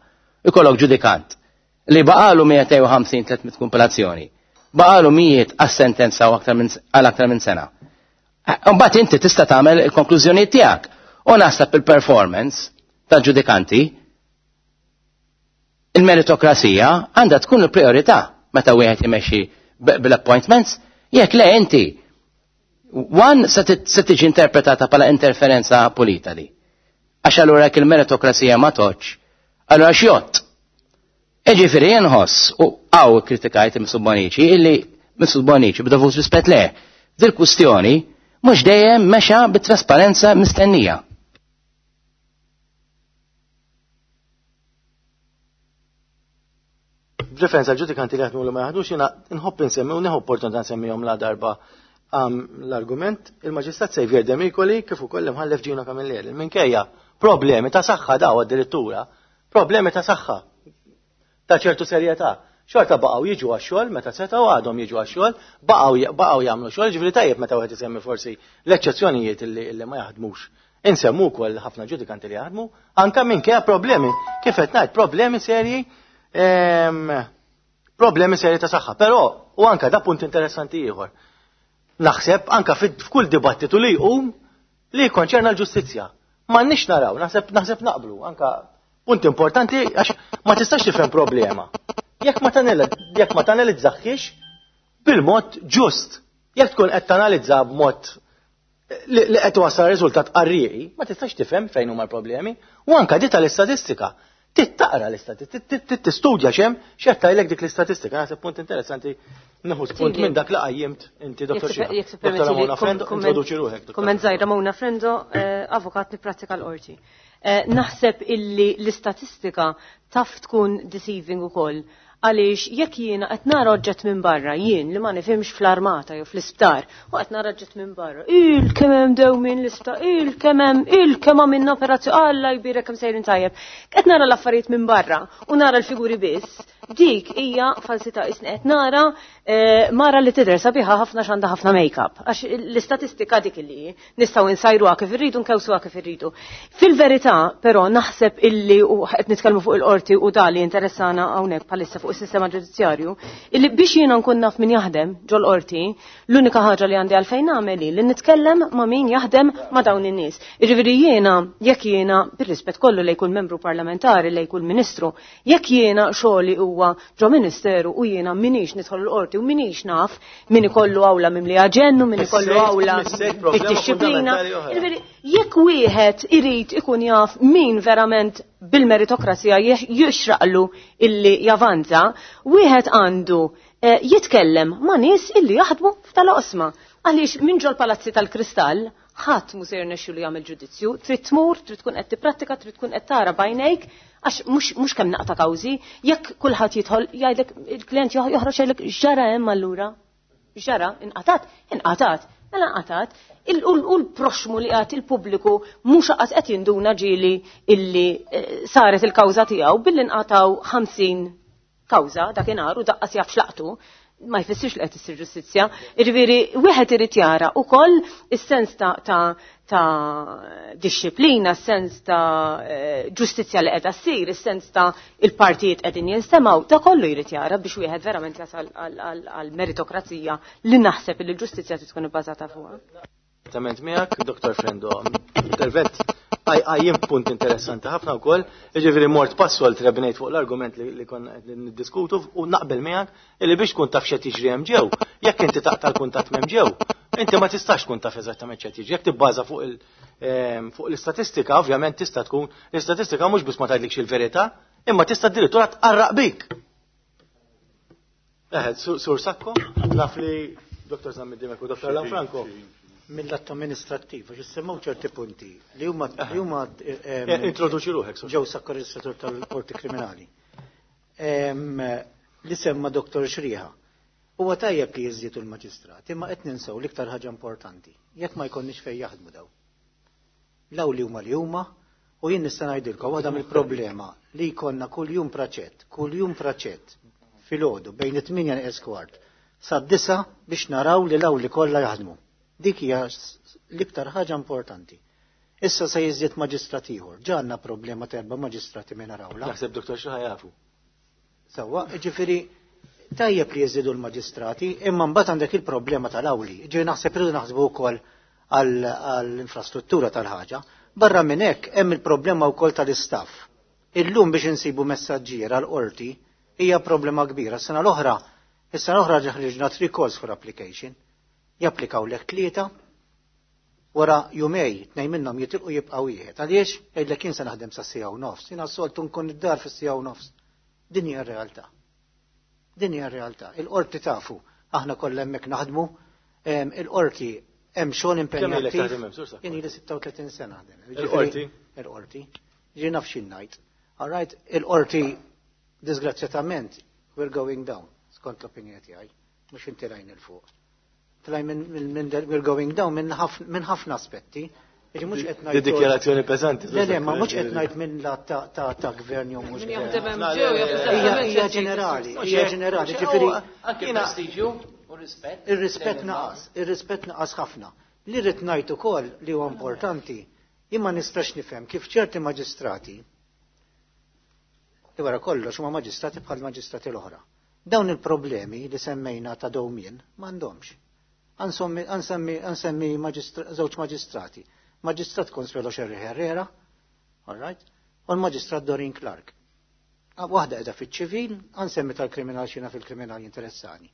Ikollok ġudikant li baqalu 250-300 kumpilazzjoni. Baqalu mijiet għas-sentenza u aktar minn għal aktar minn sena. Mbagħad inti tista' tagħmel il-konklużjonijiet tiegħek. U naħseb il-performance tal-ġudikanti il-meritokrasija għandha tkun il-priorità meta wieħed imexxi bil-appointments, jekk le inti one se tiġi interpretata bħala interferenza pulita di. Għax allura jekk il-meritokrasija ma toċ, allura xjott. Iġifieri inħoss u għaw kritikajt Mifsud Bonnici illi Mifsud Bonnici b'dovut rispett leh. Dil-kwistjoni mhux dejjem mexa bit-trasparenza mistennija. B'referenza għal ġudikanti li jaħdmu li ma jaħdmux, jiena nħobb insemmi u nieħu opportunità nsemmihom la darba l-argument il-Maġistrat Xavier Demicoli kif ukoll l-Imħallef Gino Camilleri. Minkejja problemi ta' saħħa daw addirittura, problemi ta' saħħa ta' ċertu serjetà. Xorta baqgħu jiġu għax-xogħol meta setgħu għadhom jiġu għax-xogħol, baqgħu jagħmlu xogħol, ġifieri tajjeb meta wieħed isemmi forsi l-eċċezzjonijiet illi ma jaħdmux. Insemmu wkoll ħafna ġudikanti li jaħdmu, anke minkejja problemi, kif qed ngħid, problemi serji, problemi serji ta' saħħa. Però, u anka da punt interessanti ieħor. Naħseb anka f'kull dibattitu li jqum li jikkonċerna l-ġustizzja. M'għandniex naraw, naħseb naqblu, anka punt importanti għax ma tistax tifhem problema. Jekk ma tanalizzaħħiex bil-mod ġust, jekk tkun qed tanalizza b'mod li qed wassal riżultat qarrieqi, ma tistax tifhem fejn huma l-problemi, u anka di tal-istatistika. Tittaqra l-istatistika, tistudja x'hemm, x'qed tgħidlek dik l-istatistika. Naħseb punt interessanti nieħu spunt minn dak li qajjimt inti, Dottor Jekk Xina. se permetti Dottor li Ramona Frendo, introduċi ruħek, Dottor. Kumment żgħir, Ramona Frendo, avukat nipprattika l-qorti. Naħseb illi l-istatistika taf tkun deceiving ukoll. Għaliex jekk jiena qed nara oġġett minn barra, jien li ma nifhimx fl-armata jew fl-isptar, u qed nara oġġett minn barra, il kemm hemm dew minn l-isptar, il kemm hemm, il kemm għamilna operazzjoni, Alla jbierek kemm sejrin tajjeb. Qed nara l-affarijiet minn barra u nara l-figuri biss, dik hija falsità. Isni qed nara mara li tidher sabiħa ħafna x'għandha ħafna make-up. Għax l-istatistika dik li hi, nistgħu nsajruha kif irridu, nkewsuha kif irridu. Fil-verità, però, naħseb illi, u qed nitkellmu fuq il-qorti u da li interessana hawnhekk bħalissa fuq is-sistema ġudizzjarju, illi biex jiena nkun naf min jaħdem ġol-qorti, l-unika ħaġa li għandi għalfejn nagħmel hi li nitkellem ma' min jaħdem ma' dawn in-nies. Jiġifieri jiena, jekk jiena, bir-rispett kollu li jkun membru parlamentari, li jkun ministru, jekk jiena xogħli huwa ġo ministeru u jiena minix nidħol l-qorti u minix naf min ikollu awla mimli aġennu, min ikollu Missejt, awla missejt problema bid-disciplina. fundamentali oħra. Jiġifieri, jekk wieħed irid ikun jaf min verament bil-meritokrazija jixraqlu illi javanza, wieħed għandu jitkellem ma' nies illi jaħdmu f'tal-oqsma. Għaliex minn ġol palazzi tal-kristall ħadd mhu se jirnexxilu jagħmel ġudizzju, trid tmur, trid tkun qed tipprattika, trid tkun qed tara b'għajnejk, għax mhux kemm naqta' kawżi, jekk kulħadd jidħol jgħidlek il-klient joħroġ jgħidlek x'ġara hemm allura. X'ġara? Inqatat, inqatat. Mela nqatat, u l-proxmu li għat il-pubbliku mhux qas qed jinduna ġieli illi saret il-kawża tiegħu billi nqataw 50 kawża dakinhar u daqqas jaf x'laqtu, ma jfissirx li qed issir ġustizzja. Jiġifieri wieħed irid jara wkoll is-sens ta' disċiplina, s-sens ta' ġustizzja li qiegħda ssir, is-sens ta' il-partijiet qegħdin jinstemgħu, ta' kollu jrid jara biex wieħed verament jasal għal meritokrazija li naħseb li l-ġustizzja trid tkun ibbażata fuqha. Esattament miegħek, Dottor Frendo, intervent għajjem punt interessanti ħafna wkoll, jiġifieri mort passu għal trebnejt fuq l-argument li konna qed niddiskutu u naqbel miegħek illi biex tkun taf x'qed jiġri hemm ġew, jekk inti taqta' l-kuntatt m'hemm ġew, inti ma tistax tkun taf eżattament x'qed jiġri, jekk tibbaża fuq l-istatistika, ovvjament tista' tkun l-istatistika mhux biss ma tgħidlikx il-verità, imma tista' addirittura tqarraq bik. Eħed, Sur Sacco, naf li Dottor Zammit Dimech u Dottor Lanfranco. Mill-att amministrattiv, għax issemmew ċerti punti li huma li huma Introduċi ruħek. Ġew sakkorreġistratur tal-Qorti Kriminali. Li semma Dr. Xriħa. Huwa tajjeb li jiżdiedu l-maġistrati, imma qed ninsew l-iktar ħaġa importanti. Jekk ma jkollniex fejn jaħdmu daw. L-awli huma li huma, u jien nista' ngħidilkom waħda mill-problema li jkollna kuljum praċett, kuljum praċett filgħodu bejn it-8 neqes kwart sad-9 biex naraw li l-awli kollha jaħdmu. Dik hija l-iktar ħaġa importanti. Issa se jiżdied maġistrat ieħor. Ġa għandna problema ta' erba' maġistrati minn arawla. Naħseb Dr. Xi jafu. Sewwa, ġifieri tajjeb li jiżdiedu l-maġistrati, imma mbagħad għandek il-problema tal-awli. Ġifieri naħseb irridu naħsbu wkoll għall-infrastruttura tal-ħaġa. Barra minn hekk hemm il-problema wkoll tal-istaff. Illum biex insibu messaġġier għall-qorti hija problema kbira. Sena l-oħra, is-sena l-oħra ħriġna three calls for application. Japplikaw lek tlieta, wara jumej, tnejn minnhom jitilqu jibqa' wieħed. Għaliex? Jgħidlek jien se naħdem sa siegħa u nofs. Jiena s-soltu nkun id-dar fis-siegħa u nofs. Din hija r-realtà. Din hija r-realtà. Il-qorti tafu, aħna kollha hemmhekk naħdmu, il-qorti hemm xogħol impenjattiv. Jien ili 36 sena naħdem. Il-qorti? Il-qorti. Ġi naf xi ngħid. All right, il-qorti disgrazzjatament we're going down, skont l-opinjoni tiegħi, mhux intilajn il fuq. Tlaj minn we're going down minn ħafna aspetti. Mhux qed ngħid. Dikjarazzjoni peżanti. Le, le, ma mhux qed ngħid minn la ta' gvern jew mhux. Hija ġenerali, hija ġenerali, ġifieri. Anke prestiġju u rispett. Ir-rispett naqas, ir-rispett naqas ħafna. Li rrid ngħid ukoll li huwa importanti, jien ma nistax nifhem kif ċerti maġistrati li wara kollox huma maġistrati bħal maġistrati l-oħra. Dawn il-problemi li semmejna ta' dewmien m'għandhomx. Ansemmi żewġ maġistrati. Maġistrat Consuelo Scerri Herrera, all right, u l-maġistrat Doreen Clark. Waħda qiegħda fiċ-ċivil, ansemmi tal-kriminal xina fil-kriminal interessani.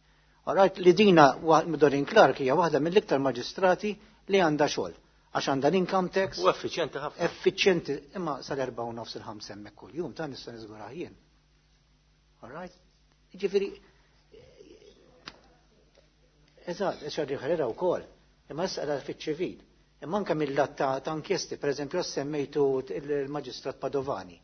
All right, li dina Doreen Clark hija waħda mill-iktar maġistrati li għandha xogħol. Għax għandha l-income tax. U effiċjenti ħafna. Effiċjenti, imma sal-4:30 il-5 hemmhekk kuljum, ta' nista' niżgurah jien. All right? Ġifieri, eżatt, Scerri Herrera wkoll, imma issa qiegħda fiċ-ċivil. Imma anke mill-lat ta' inkjesti, pereżempju semmejtu il-Maġistrat Padovani.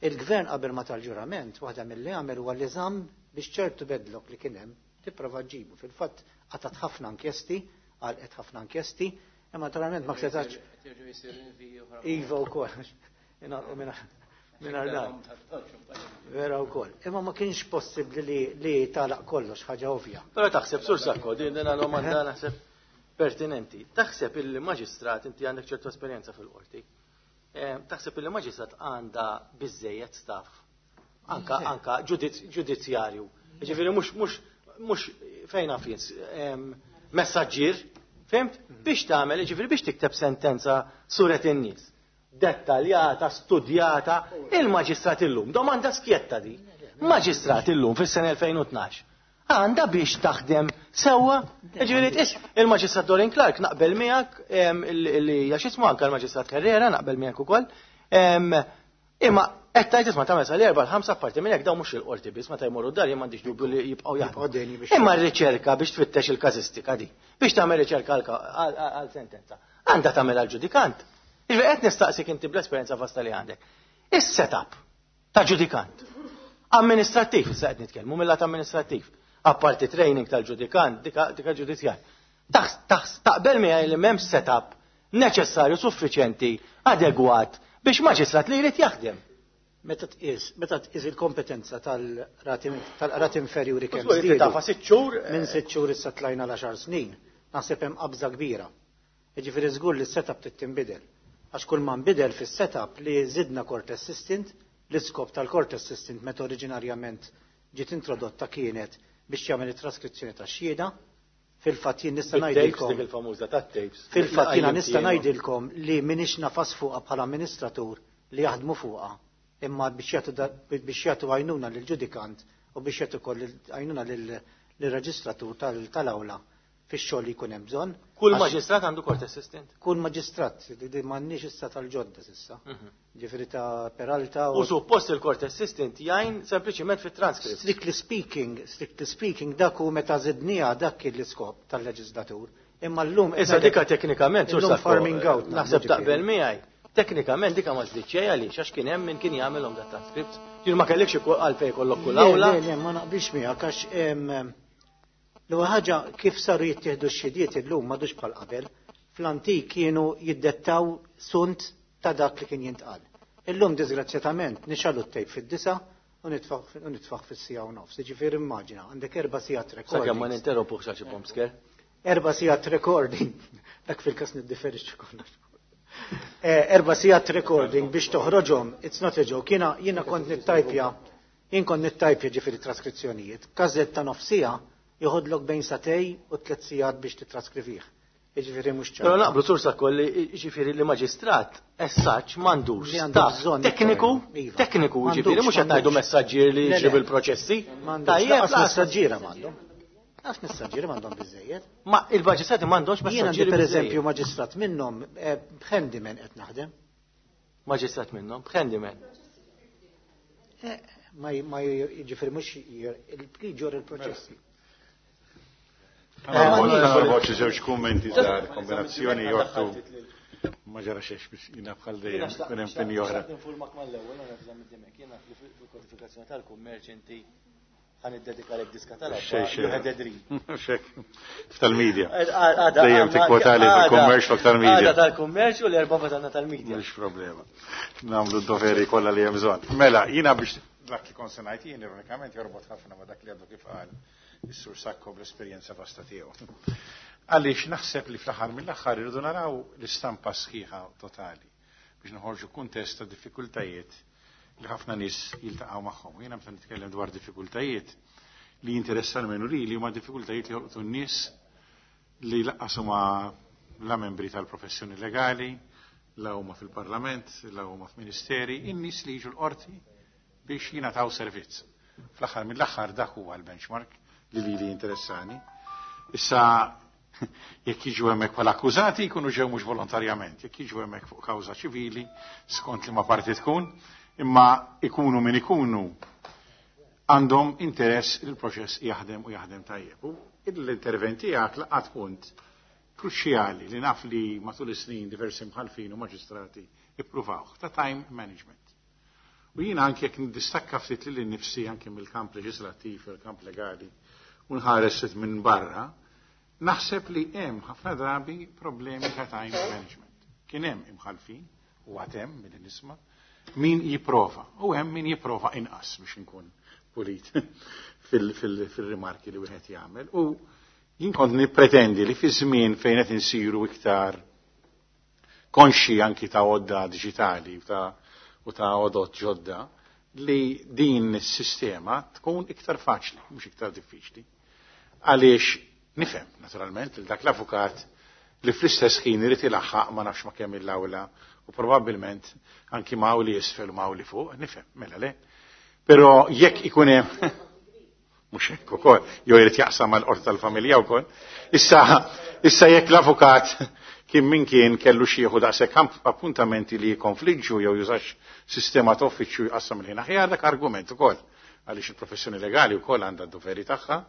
Il-gvern qabel ma tal-ġurament, waħda mill-li għamel huwa li żamm biex ċertu backlog li kien hemm tipprova ġibu. Fil-fatt qatat ħafna inkjesti, għalqet ħafna inkjesti, imma naturalment ma setax. Iva wkoll. Ingħalqu minn dan. Vera wkoll. Imma ma kienx possibbli li tagħlaq kollox, ħaġa ovvja. Però taħseb, Sur Sacco, din domanda naħseb pertinenti. Taħseb il-maġistrat, inti għandek ċertu esperjenza fil-qorti, taħseb il-maġistrat għandha biżejjed staff, anka ġudizzjarju. Ġifieri mhux fejn naf jien, messaġġier, fimt? Biex tagħmel, ġifieri biex tikteb sentenza suret in-nies. Dettaljata, studjata, il-maġistrat illum, domanda skjetta di. Maġistrat illum fis-sena 2012. Għanda biex taħdem sewwa. Ġifieri tqis il-Maġistrat Doreen Clark naqbel miegħek li hija x'ismu anke l-Maġistrat Herrera naqbel miegħek ukoll. Imma qed tgħid isma' tagħmel sal-erba' l-ħamsa parti minn hekk dawn mhux il-qorti biss meta jmorru d-dar jien m'għandix dubju li jibqgħu jaħdmu. Imma r-riċerka biex tfittex il-każistika di, biex tagħmel riċerka għal sentenza, għandha tagħmel għall-ġudikant. Ġifieri qed nistaqsik inti bl-esperjenza vasta li għandek. Is-setup ta' ġudikant amministrattiv, issa qed nitkellmu mill-lat amministrattiv. Apparti training tal-ġudikant, dika ġudizzjar. Taqbel miegħi li m'hemmx setup neċessarju, suffiċjenti, adegwat biex maġistrat li jrid jaħdem. Meta tqis il-kompetenza tal-qrati inferjuri kemm żdiedu. Tafa 6 xhur. Minn 6 xhur issa tlajna l-10 snin, naħseb hemm qabża kbira. Jiġifieri żgur li s-setup trid tinbidel. Għax kull ma nbidel fis-setup li żidna court assistant, l-iskop tal-court assistant meta oriġinarjament ġiet introdotta kienet biex jagħmel it-traskrizzjoni tax-xhieda. Fil-fatt jien nista' ngħidilkom dik il-famuża tat-tapes. Fil-fatt jiena nista' ngħidilkom li m'iniex nafas fuqha bħala amministratur li jaħdmu fuqha, imma biex jagħtu għajnuna lill-ġudikant u biex jagħtu wkoll għajnuna lir-reġistratur tal-awla. fix-xogħol li jkun hemm bżonn. Kull maġistrat għandu court assistant? Kull maġistrat, li m'għandniex issa tal-ġodda s'issa. Ġifieri ta' Peralta U suppost il-court assistant jgħin sempliċiment fit-transcript. Strictly speaking, dak hu meta żidniha, dak kien l-iskop tal-leġislatur. Imma llum Issa dika teknikament, illum farming out. Naħseb taqbel miegħi. Teknikament dika ma żdiedx xejn, għaliex għax kien hemm min kien jagħmelhom dat transcripts. Ġifieri ma kellekx għalfejn jkollok kull awla. Le, ma naqbilx miegħek għax l-ewwel ħaġa, kif saru jittieħdu x-xhidiet illum m'għadux bħal qabel. Fl-antik kienu jiddettaw sunt ta' dak li kien jintqal. Illum, disgrazzjatament, nixgħelu t-tejp fid-9 u nitfaħ fis-1:30. Ġifieri immaġina, għandek 4 sigħat Sakemm ma recording. ninterrompuh xi bombsker. 4 sigħat recording. Dak fil-kas niddiferixxu kollox. 4 sigħat recording biex toħroġhom, it's not a joke. Jiena kont nittajpja, jien kont nittajpja ġifieri traskrizzjonijiet. Każett ta' nofs siegħa joħodlok bejn 2 sagħtejn u 3 sigħat biex titraskrivih. Jiġifieri mhux ċar. Però naqblu, Sur Sakkolli, ġifieri li maġistrat essaċ m'għandux Li għandu staff bżonn tekniku, iktar. Iva. tekniku, M'għandux, ġifieri mhux qed ngħidu m'għandux. messaġġier li Le, le. jġib il-proċessi. M'għandux, Tajjeb, lanqas lanqas- messaġġiera m'għandhom. Lanqas messaġġiera m'għandhom biżejjed. Ma il-maġistrati m'għandhomx Jien għandi messaġġieri per eżempju biżejjed. maġistrat minnhom b'handyman qed naħdem. Maġistrat minnhom, b'handyman. Ma jiġifieri mhux il-ġor il-proċessi. Għana xi żewġ kummenti żgħar, kombinazzjoni jortu. Ma ġara xiex biex jina bħal dejjem, kun hemm opinjoni oħra. Ninfurmak mal-ewwel, għana bżonn middimek, jiena fil-kodifikazzjoni tal-kummerċ inti ħa niddedikalek diska tal Xej, xej. You had a dream. Xek, tal-media. Għada. Dejjem tikkwotali fil-kummerċ u tal-media. Għada tal-kummerċ u l-erba għadna tal-media. Mhux problema. Nagħmlu d-doveri kollha li hemm bżonn. Mela, jiena biex dak li kont se ngħid jien ironikament jorbot ħafna ma' dak li għadu kif qal is-Sur Sakko bl-esperjenza vasta tiegħu. Għaliex naħseb li fl-aħħar mill-aħħar irridu naraw l-istampa sħiħa totali biex noħorġu kuntest ta' diffikultajiet li ħafna nies jiltaqgħu magħhom. Jiena meta nitkellem dwar diffikultajiet li jinteressa l li huma diffikultajiet li jolqtu n-nies li lanqas huma la membri tal-professjoni legali, la huma fil-parlament, la huma f'ministeri, in-nies li jiġu l-qorti biex jingħataw servizz. Fl-aħħar mill-aħħar dak huwa l-benchmark li interessani. Issa jekk jiġu hemmhekk bħala akkużati jkunu ġew mhux volontarjament, jekk jiġu hemmhekk fuq kawża ċivili skont li ma parti tkun, imma ikunu min ikunu għandhom interess li l-proċess jaħdem u jaħdem tajjeb. U l-intervent tiegħek laqat punt kruċjali li naf li matul is-snin diversi mħalfin u maġistrati ippruvawh, ta' time management. U jiena anke jekk nidistakka ftit lili nnifsi anke mill-kamp leġislattiv u l-kamp legali u nħares minn barra, naħseb li hemm ħafna drabi problemi ta' time management. Kien hemm imħalfin u għad hemm milli nisma' min jipprova u hemm min jipprova inqas, biex inkun pulit fil-rimarki li wieħed jagħmel. U jien kont nippretendi li fi żmien fejn qed insiru iktar konxi anki ta' għodda diġitali u ta' għodot ġodda, li din is-sistema tkun iktar faċli, mhux iktar diffiċli. Għaliex nifhem, naturalment, il dak l-avukat li fl-istess ħin irid ilaħħaq ma nafx ma kemm il-awla u probabbilment anki ma' li isfel u ma' li fuq, nifhem, mela le. Però jekk ikun hemm mhux hekk ukoll, jew irid jaqsam mal-qorti tal-familja wkoll. Issa jekk l-avukat kien min kien kellu xi jieħu daqshekk appuntamenti li jikkonfliġġu jew jużax sistema ta' uffiċċju jqassam il-ħin aħjar, dak argument ukoll. Għaliex il-professjoni legali wkoll għandha d-doveri tagħha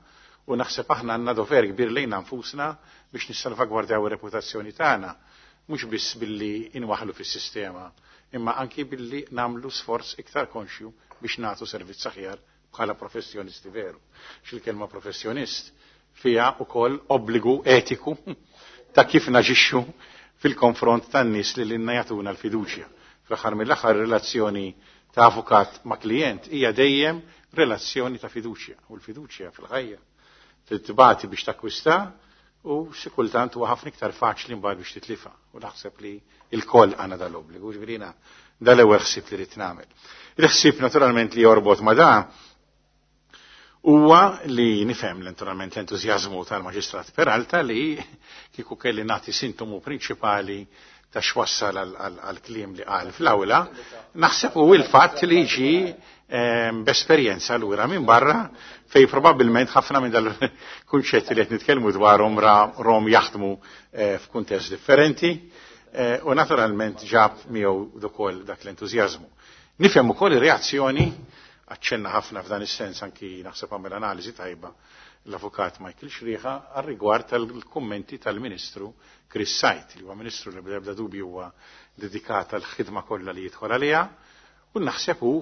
u naħseb aħna għandna dover kbir lejna nfusna biex nissalvagwardjaw ir-reputazzjoni tagħna, mhux biss billi inwaħlu fis-sistema, imma anki billi nagħmlu sforz iktar konxju biex nagħtu servizz aħjar bħala professjonisti veru. Xil-kelma professjonist fija ukoll obbligu etiku ta' kif naġixxu fil-konfront tan-nies li lilna jagħtuna l-fiduċja. Fl-aħħar mill-aħħar, relazzjoni ta' avukat ma' klient hija dejjem relazzjoni ta' fiduċja, u l-fiduċja fil-ħajja trid tbati biex takkwista u xi kultant huwa ħafna iktar faċli mbagħad biex titlifa, u naħseb li il-koll għandna dal-obbligu, ġifieri dal-ewwel ħsieb li rrid nagħmel. Il-ħsieb naturalment li jorbot ma' da huwa li nifhem naturalment l-entużjażmu tal-Maġistrat Peralta, li kieku kelli nagħti sintomu prinċipali ta' xwassal għal-kliem li qal fl-awla, naħseb u il-fatt li ġi B'esperjenza lura minn barra fej probabbilment ħafna minn dal-kunċetti li qed nitkellmu dwarhom rom jaħdmu f'kuntest differenti u naturalment ġab miegħu ukoll dak l-entużjażmu. Nifhem ukoll ir-reazzjoni, aċċenna ħafna f'dan is-sens anki naħseb għamel analiżi tajba l-avukat Michael Xriħa għar-rigward tal-kummenti tal-Ministru Chris Sajt, li huwa ministru li bla ebda dubju huwa dedikat għall-ħidma kollha li jidħol għaliha, u naħseb hu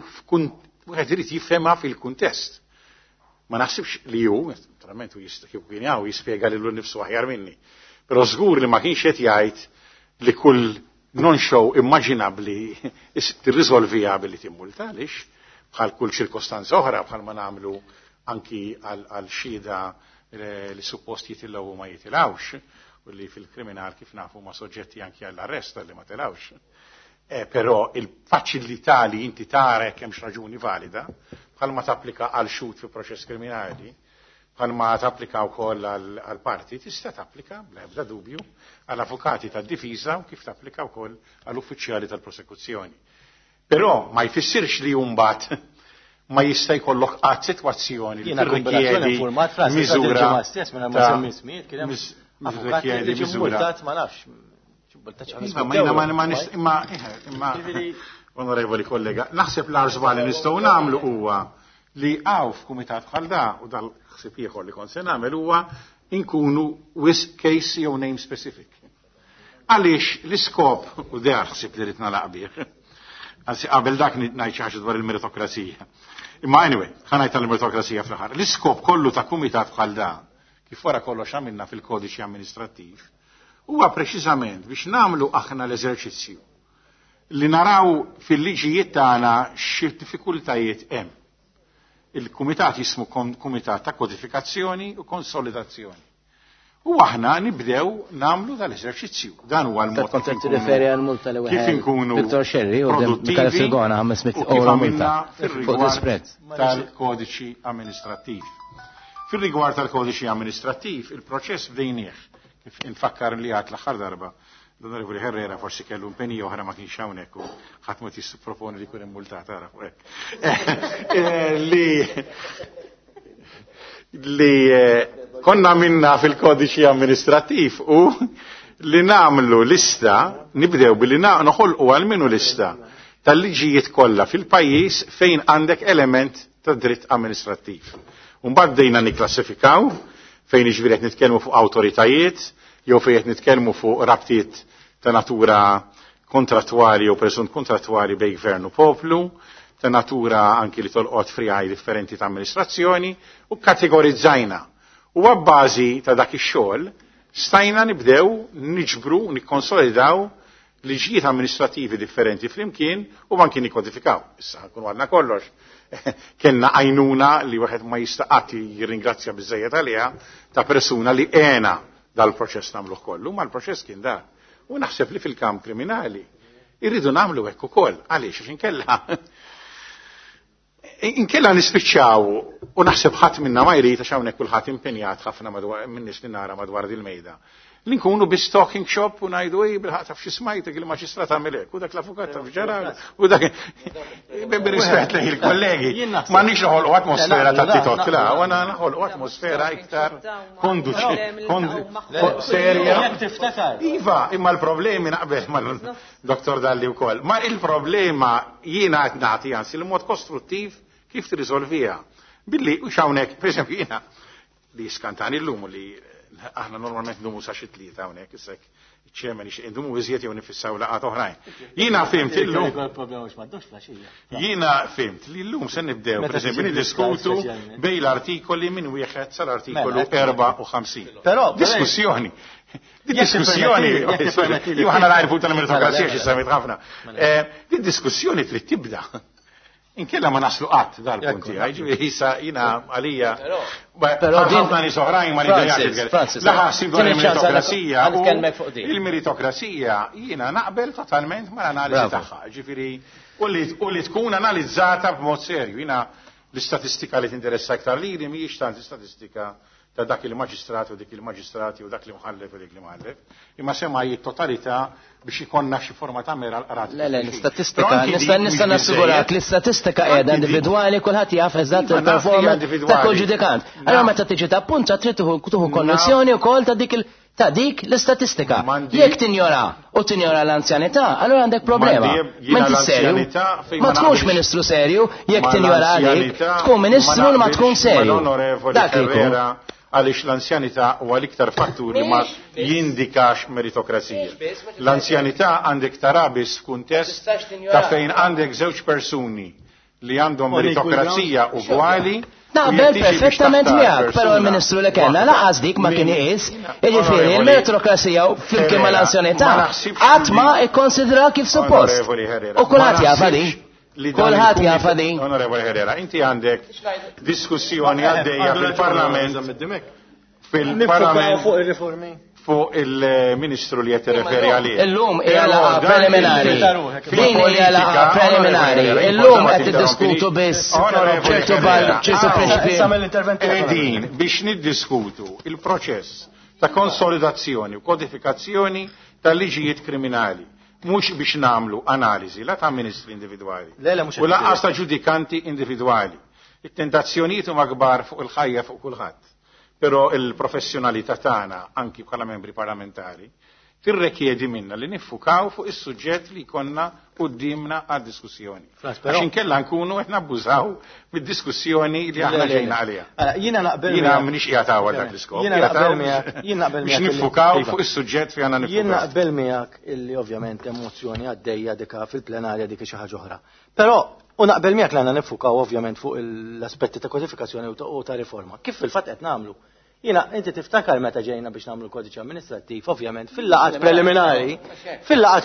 wieħed irid jifhemha fil-kuntest. Ma naħsibx li hu, naturalment hu jista' kieku kien hawn jispjega lilu nnifsu aħjar minni, però żgur li ma kienx qed jgħid li kull non-show immaġinabbli tirriżolviha billi timmulta, għaliex bħal kull ċirkostanza oħra, bħal ma nagħmlu anki għal xhieda li suppost jitilgħu u ma jitilgħux, u li fil-kriminal kif nafu ma soġġetti anki għall-arrest li ma tilgħux. Però il-faċilità li inti tara jekk hemmx raġuni valida, bħalma tapplika għal xhud fi proċess kriminali, bħalma tapplika wkoll għal parti, tista' tapplika bla ebda dubju għal avukati tad-difiża u kif tapplika wkoll għal uffiċjali tal-prosekuzzjoni. Però ma jfissirx li mbagħad ma jista' jkollok qatt sitwazzjoni li tirrikjedi miżura tirrikjedi miżura. Ma nafx. Imma imma imma onorevoli kollega, naħseb l-arżbal li nistgħu nagħmlu huwa li għaw f'kumitat bħal da u dal-ħsieb ieħor li kont se nagħmel huwa inkunu wis case jew name specific. Għaliex l-iskop u der ħsieb li rid nagħlaq bih. Anzi qabel dak ngħid xi ħaġa dwar il-meritokrazija. Imma anyway, ħa ngħid tal-meritokrazija fl-aħħar. L-iskop kollu ta' kumitat bħal da, kif wara kollox għamilna fil-kodiċi amministrattiv, huwa preċiżament biex nagħmlu aħna l-eżerċizzju li naraw fil-liġijiet tagħna xi diffikultajiet hemm. Il-kumitat jismu kumitat ta' kodifikazzjoni u konsolidazzjoni. U aħna nibdew namlu dal-eżerċizzju. Dan huwa l-mod. Kont qed tirreferi għal multa li kif inkunu Victor Sherry u Michael Frigona 500 euro multa fuq disprezz tal-kodiċi amministrattiv. Fil-rigward tal-kodiċi amministrattiv, il-proċess bdejnieh, kif infakkar li għat l-aħħar darba, l-Onorevoli Herrera forsi kellu impenji oħra ma kienx hawnhekk u ħadd ma proponi li jkun immultat ara fuq hekk. Li konna minna fil-kodiċi amministrattiv u li namlu lista, nibdew billi noħolqu għal-minu lista tal-liġijiet kollha fil-pajjiż fejn għandek element ta' dritt amministrattiv. Mbagħad bdejna nikklassifikaw fejn jiġifieri qed nitkellmu fuq awtoritajiet jew fejn qed nitkellmu fuq rabtiet ta' natura kontrattwali jew presunt kontrattwali bejn gvern u poplu, ta' natura anki li tolqot friegħi differenti ta' amministrazzjoni u kategorizzajna. U għabbażi ta' dak ix-xogħol stajna nibdew niġbru, nikkonsolidaw liġijiet amministrativi differenti flimkien u anki nikkodifikaw. Issa nkunu għandna kollox. Kenna għajnuna li wieħed ma jista' qatt jirringrazzja biżejjed għaliha ta' persuna li għena dal-proċess nagħmluh kollu, ma l-proċess kien da. U naħseb li fil-kamp kriminali irridu nagħmlu hekk ukoll. Għaliex għax inkella inkella nispiċċaw u naħseb ħadd minna ma jrid għax hawnhekk kulħadd impenjat ħafna madwar minn nies li nara madwar dil-mejda. Li nkunu bi talking shop u ngħidu ej bil-ħaq taf xi smajtek il-maġistrat għamel hekk u dak l-avukat taf ġara u dak bir-rispett lejn il-kollegi. Ma nix noħolqu atmosfera ta' titot la, u għana noħolqu atmosfera iktar konduċi, serja. Iva, imma l-problemi naqbel mal-Dr. Dalli wkoll. Ma il-problema jiena qed nagħti anzi il-mod kostruttiv kif tirriżolviha. Billi u hawnhekk, pereżempju jiena li skantani llum li aħna normalment ndumu sa xi tlieta hawnhekk issek iċ-chairman ixtieq ndumu iżjed jew nifissaw laqgħat oħrajn. Jiena fhimt illum. Jiena fhimt li llum se nibdew pereżempju niddiskutu bejn l-artikoli minn wieħed sal-artikolu 54. Però diskussjoni. Di diskussjoni, jew aħna narfu tal-meritokrazija xi semmit ħafna. Di diskussjoni trid tibda. Inkella ma naslu qatt dal-punt tiegħi, ġifieri issa jiena għalija. Però ħafna nies oħrajn ma nidejjax. Laħasib dwar il-meritokrazija. Il-meritokrazija jiena naqbel totalment mal-analiżi tagħha. Ġifieri u li tkun analizzata b'mod serju. Jiena l-istatistika li tinteressa iktar lili mhijiex tant l-istatistika Ta' dak il-maġistrat u dik il-maġistrati u dak li mħallef u dik li mħallef, imma semmai totalità biex ikonna xi forma ta' mera l-qrati. Le, le, l-istatistika, nista' nassigurak l-istatistika qiegħda individwali, kulħadd jaf eżatt Iva, naf li hija il-performance ta' individwali. kull ġudikant. Allora meta tiġi tappunta trid tieħu konnessjoni wkoll ta' dik l-istatistika. Jekk tinjora u tinjora l-anzjanità, allora għandek problema. M'għandi jiena M'inti serju. l-anzjanità fejn Ma ma tkunx naqbilx. ministru serju jekk Ma tinjora għalik, l-anzjanità tkun ministru li ma naqbilx tkun serju. mal-Onorevoli Dak li jkun. Herrera għaliex l-anzjanità huwa l-iktar fattur li ma jindikax meritokrazija. L-anzjanità għandek tara biss f'kuntest Tistax tinjora. ta' fejn għandek żewġ persuni li għandhom On equal meritokrazija ugwali. u Naqbel jekk tiġi biex perfettament taħtar miegħek, però persuna l-Ministru li kellna waħda laqas dik ma kien minn- iqis. Jiġifieri Onorevoli il-meritokrazija flimkien Herrera, mal-anzjanità ma naħsibx qatt ma li- ikkonsidra kif suppost. Onorevoli Herrera. U kulħadd ma jafa di. naħsibx li dan Kulħadd il-kumit- jafa di. Onorevoli Herrera, inti għandek diskussjoni għaddejja fil-Parlament fil-Parlament fuq il-riformi. fuq il-Ministru li qed tirreferi għalih. Illum hija Però laqgħa dan preliminari. il- Din hija laqgħa preliminari. Illum qed tiddiskutu biss Onorevoli ċertu bal Herrera, ċertu hawn prinċipi. Samel intervent Qegħdin biex niddiskutu il-proċess ta' konsolidazzjoni u kodifikazzjoni tal-liġijiet kriminali, mhux biex namlu analiżi la ta' ministri individwali Le, le, mhux u lanqas qed ta' ġudikanti individwali. It-tentazzjonijiet huma kbar fuq il-ħajja fuq kulħadd. Però il-professjonalità tagħna anki bħala membri parlamentari tirrekjedi minna li niffukaw fuq is-suġġett li konna qudiemna għad-diskussjoni. Frans, però- Għax inkella nkunu qed nabbużaw mid-diskussjoni li aħna ġejna għaliha. Allora, Jiena naqbel Jiena miegħek. m'iniex qiegħed hawn dak l-iskop. Jiena qiegħed naqbel hawn miegħek, jien naqbel biex miegħek illi- niffukaw Iva. fuq is-suġġett fi għandna Jien niffukaw. naqbel miegħek illi ovvjament emozzjoni għaddejja dika fil-plenarja dik xi ħaġa oħra. Però u naqbel miegħek li għandna niffukaw ovvjament fuq l-aspetti ta' kodifikazzjoni u ta' riforma. Kif fil-fatt qed nagħmlu? Jiena inti tiftakar meta ġejna biex nagħmlu l-kodiċi amministrattiv, ovvjament fil-laqat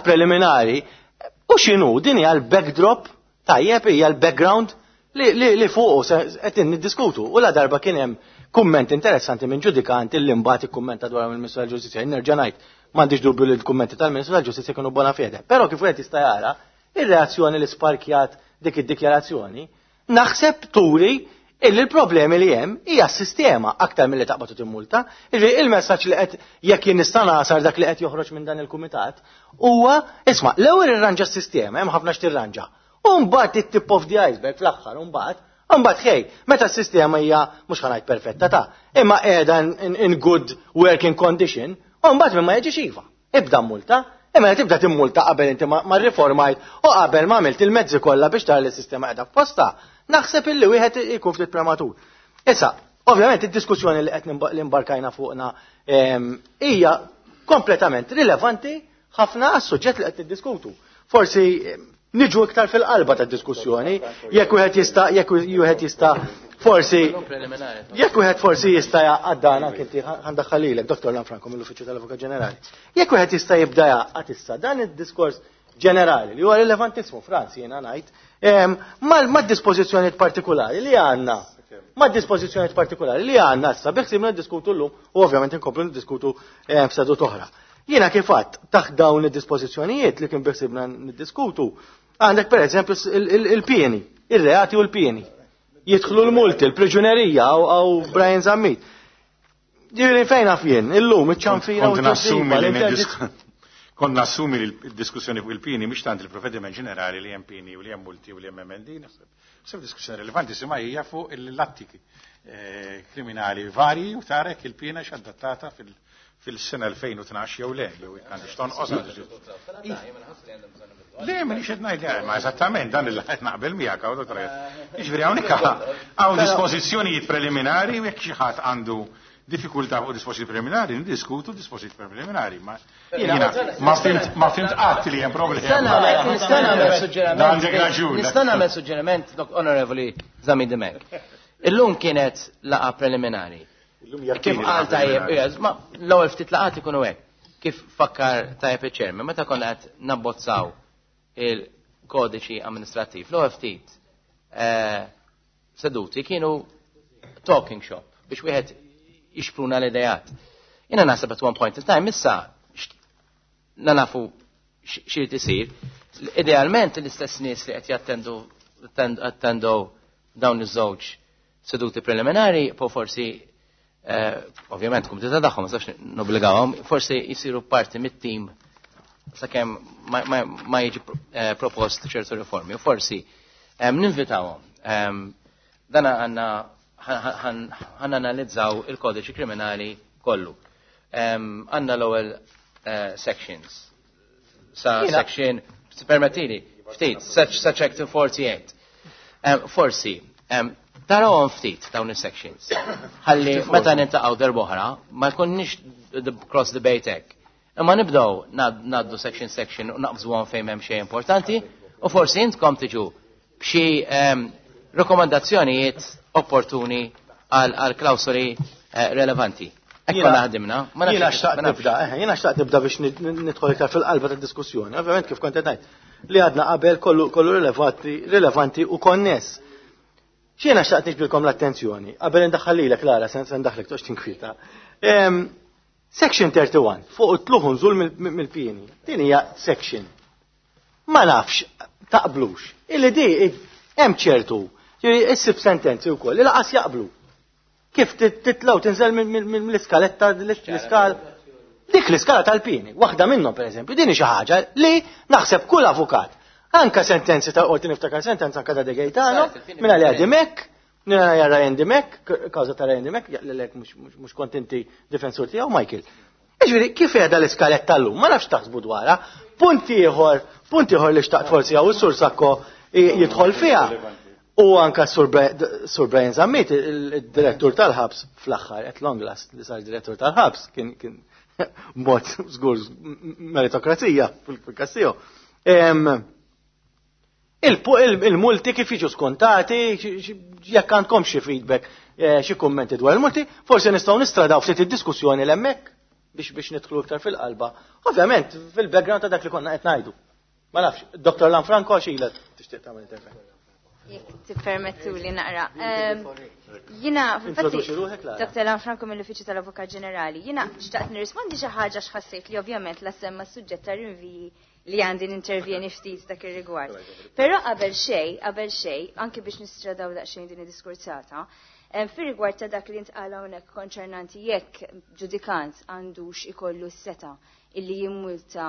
preliminari, u x'inhu din hija l-backdrop tajjeb hija l-background li fuqu qed niddiskutu. U la darba kien hemm kumment interessanti minn ġudikant illi mbagħad ikkummenta dwar mill-Ministru tal-Ġustizzja. Jien Nerġa' ngħid m'għandix dubju li l-kummenti tal-Ministru tal-Ġustizzja kienu bona fede. Però kif wieħed jista' jara, ir-reazzjoni li sparkjat dik id-dikjarazzjoni naħseb turi illi l-problemi li hemm hija s-sistema aktar milli taqbad u timmulta. Jiġifieri il-messaġġ li qed jekk jien nista' nagħsar dak li qed joħroġ minn dan il-kumitat huwa isma' l-ewwel irranġa s-sistema, hemm ħafna x'tirranġa. U mbagħad it-tip of the iceberg fl-aħħar u mbagħad ħej, meta s-sistema hija mhux ħa ngħid perfetta ta' imma qiegħda in good working condition, u mbagħad minn ma jiġix iva. Ibda multa, imma tibda timmulta qabel inti ma riformajt u qabel ma għamilt il-mezzi kollha biex tara li s-sistema qiegħda f'posta, naħseb illi wieħed ikun ftit prematur. Issa, ovvjament id-diskussjoni li qed li mbarkajna fuqna hija kompletament rilevanti ħafna għas-suġġett li qed niddiskutu. Forsi niġu iktar fil-qalba tad-diskussjoni, jekk wieħed jista' jekk wieħed jista' forsi jekk wieħed forsi jista' jgħaqqad dan anke inti ħandaħħalilek, Dr. Lanfranco mill-Uffiċċju tal-Avukat Ġenerali. Jekk wieħed jista' jibda jgħaqqad issa dan id-diskors ġenerali li huwa rilevantissimu Franz jiena ngħid, mad-dispożizzjonijiet partikolari li għandna. Mad-dispożizzjonijiet partikolari li għandna issa biħsibna niddiskutu llum u ovvjament inkomplu niddiskutu f'sedut oħra. Jiena kif għadt taħt dawn id-dispożizzjonijiet li kien biħsibna niddiskutu, għandek per eżempju il-pieni, ir-reati u l-pieni. Jidħlu l-multi, l-priġunerija għaw Brian Zammit. Ġifieri fejn naf jien, illum iċ-ċanfira u Kont nassumi li l-interdizz- kont nassumi li l-diskussjoni fuq il-pieni mhix tant il-provvediment ġenerali li hemm pieni u li hemm multi u li hemm emendi, naħseb diskussjoni rilevanti sima hija fuq il-latti kriminali varji u tarek il-piena x'adattata fil-sena 2012 jew le, jew għandix tonqos. Le, minix qed ngħid, le, ma eżattament dan il qed naqbel miegħek hawn dottor. Jiġifieri hawnhekk hawn dispożizzjonijiet preliminari u jekk xi ħadd għandu diffikultà fuq dispożizzjoni preliminari, niddiskutu dispożizzjoni preliminari, ma jiena ma fhimt qatt li hemm problema. Nista' nagħmel suġġeriment. Għandek raġun. Nista' nagħmel suġġeriment, Dok Onorevoli Zammit Dimech. Illum kienet laqa preliminari. Illum hija Kif t-tieni qal laqa tajjeb, preliminari. yes, ma l-ewwel ftit laqat ikunu hekk. Kif fakkar tajjeb iċ-chairman, meta konna qed nabbozzaw il-kodiċi amministrattiv, l-ewwel ftit seduti kienu talking shop biex wieħed jixpruna l-idejat. Jiena naħseb at one point in time issa nafu x'irid isir. Idealment l-istess nies li qed jattendu attendu dawn iż-żewġ seduti preliminari po forsi Ovvjament kumdita tagħhom ma nistax nobbligawhom, forsi jsiru parti mit-tim sakemm ma jiġi propost ċertu riformi. U forsi ninvitawhom. Dan għandna ħan analizzaw il-kodiċi kriminali kollu. Għandna l-ewwel sections. Sa section, permettili, ftit, sa chapter 48. Forsi, tarawhom ftit dawn is-sections. Ħalli meta niltaqgħu darb'oħra ma jkunniex cross debate hekk. Imma nibdew ngħaddu section section u naqbżuhom fejn hemm xejn importanti u forsi intkom tiġu b'xi rekomandazzjonijiet opportuni għal klawsoli relevanti. Ekku naħdimna. Jiena xtaqt nibda, jiena xtaqt nibda biex nidħol iktar fil-qalba tad-diskussjoni. Ovvjament kif kont qed ngħid li għadna qabel kollu rilevanti u konness. X'jiena xtaqt niġbidilkom l-attenzjoni, qabel indaħħal lilek Lara, se ndaħlek toqgħodx tinkwieta. Section 31, fuq it-tluħ nżul mill-pieni. Din hija section. Ma nafx, taqblux. Illi di hemm ċertu, issib sentenzi wkoll, li laqas jaqblu. Kif titlaw tinżel mill-iskaletta, l-iskala. Dik l-iskala tal-pieni, waħda minnhom pereżempju, din hi xi ħaġa li naħseb kull avukat. Anka sentenzi ta' qorti niftakar sentenza anka ta' De Gaetano, minna li għadi mek, minna li Ryan Dimek, kawża ta' Ryan Dimek, jaqlilek mhux kont inti difensur tiegħu, Michael. Jiġifieri, kif qiegħda l-iskaletta llum? Ma nafx taħsbu dwarha. Punt ieħor li xtaqt forsi hawn is-Sur Sacco jidħol fiha. U anka Sur Brian Zammit, il-direttur tal-ħabs fl-aħħar, at long last li sar direttur tal-ħabs, kien mod żgur meritokrazija fil-kassiju. Il-multi kif jiġu skontati, jekk għandkom xi feedback, xi kummenti dwar il-multi, forsi nistgħu nistradaw ftit id-diskussjoni l-hemmhekk biex nidħlu iktar fil-qalba. Ovvjament, fil-background ta' dak li konna qed ngħidu. Ma nafx, Dr. Lanfranco xila tixtieq tagħmel intervent. Jekk tippermettu li naqra. Jiena, Introduċi ruħek, Lara. Dr. Lanfranco mill-Uffiċċju tal-Avukat Ġenerali, jiena xtaqt nirrispondi xi ħaġa x'ħassejt li ovvjament la semma s-suġġett ta' rinviji li għandi nintervjeni ftit dak ir-rigward. Però qabel xejn, anki biex nistradaw daqsxejn din id-diskursata, fir-rigward ta' dak li ntqal hawnhekk konċernanti jekk ġudikant għandux ikollu s-seta illi jimmulta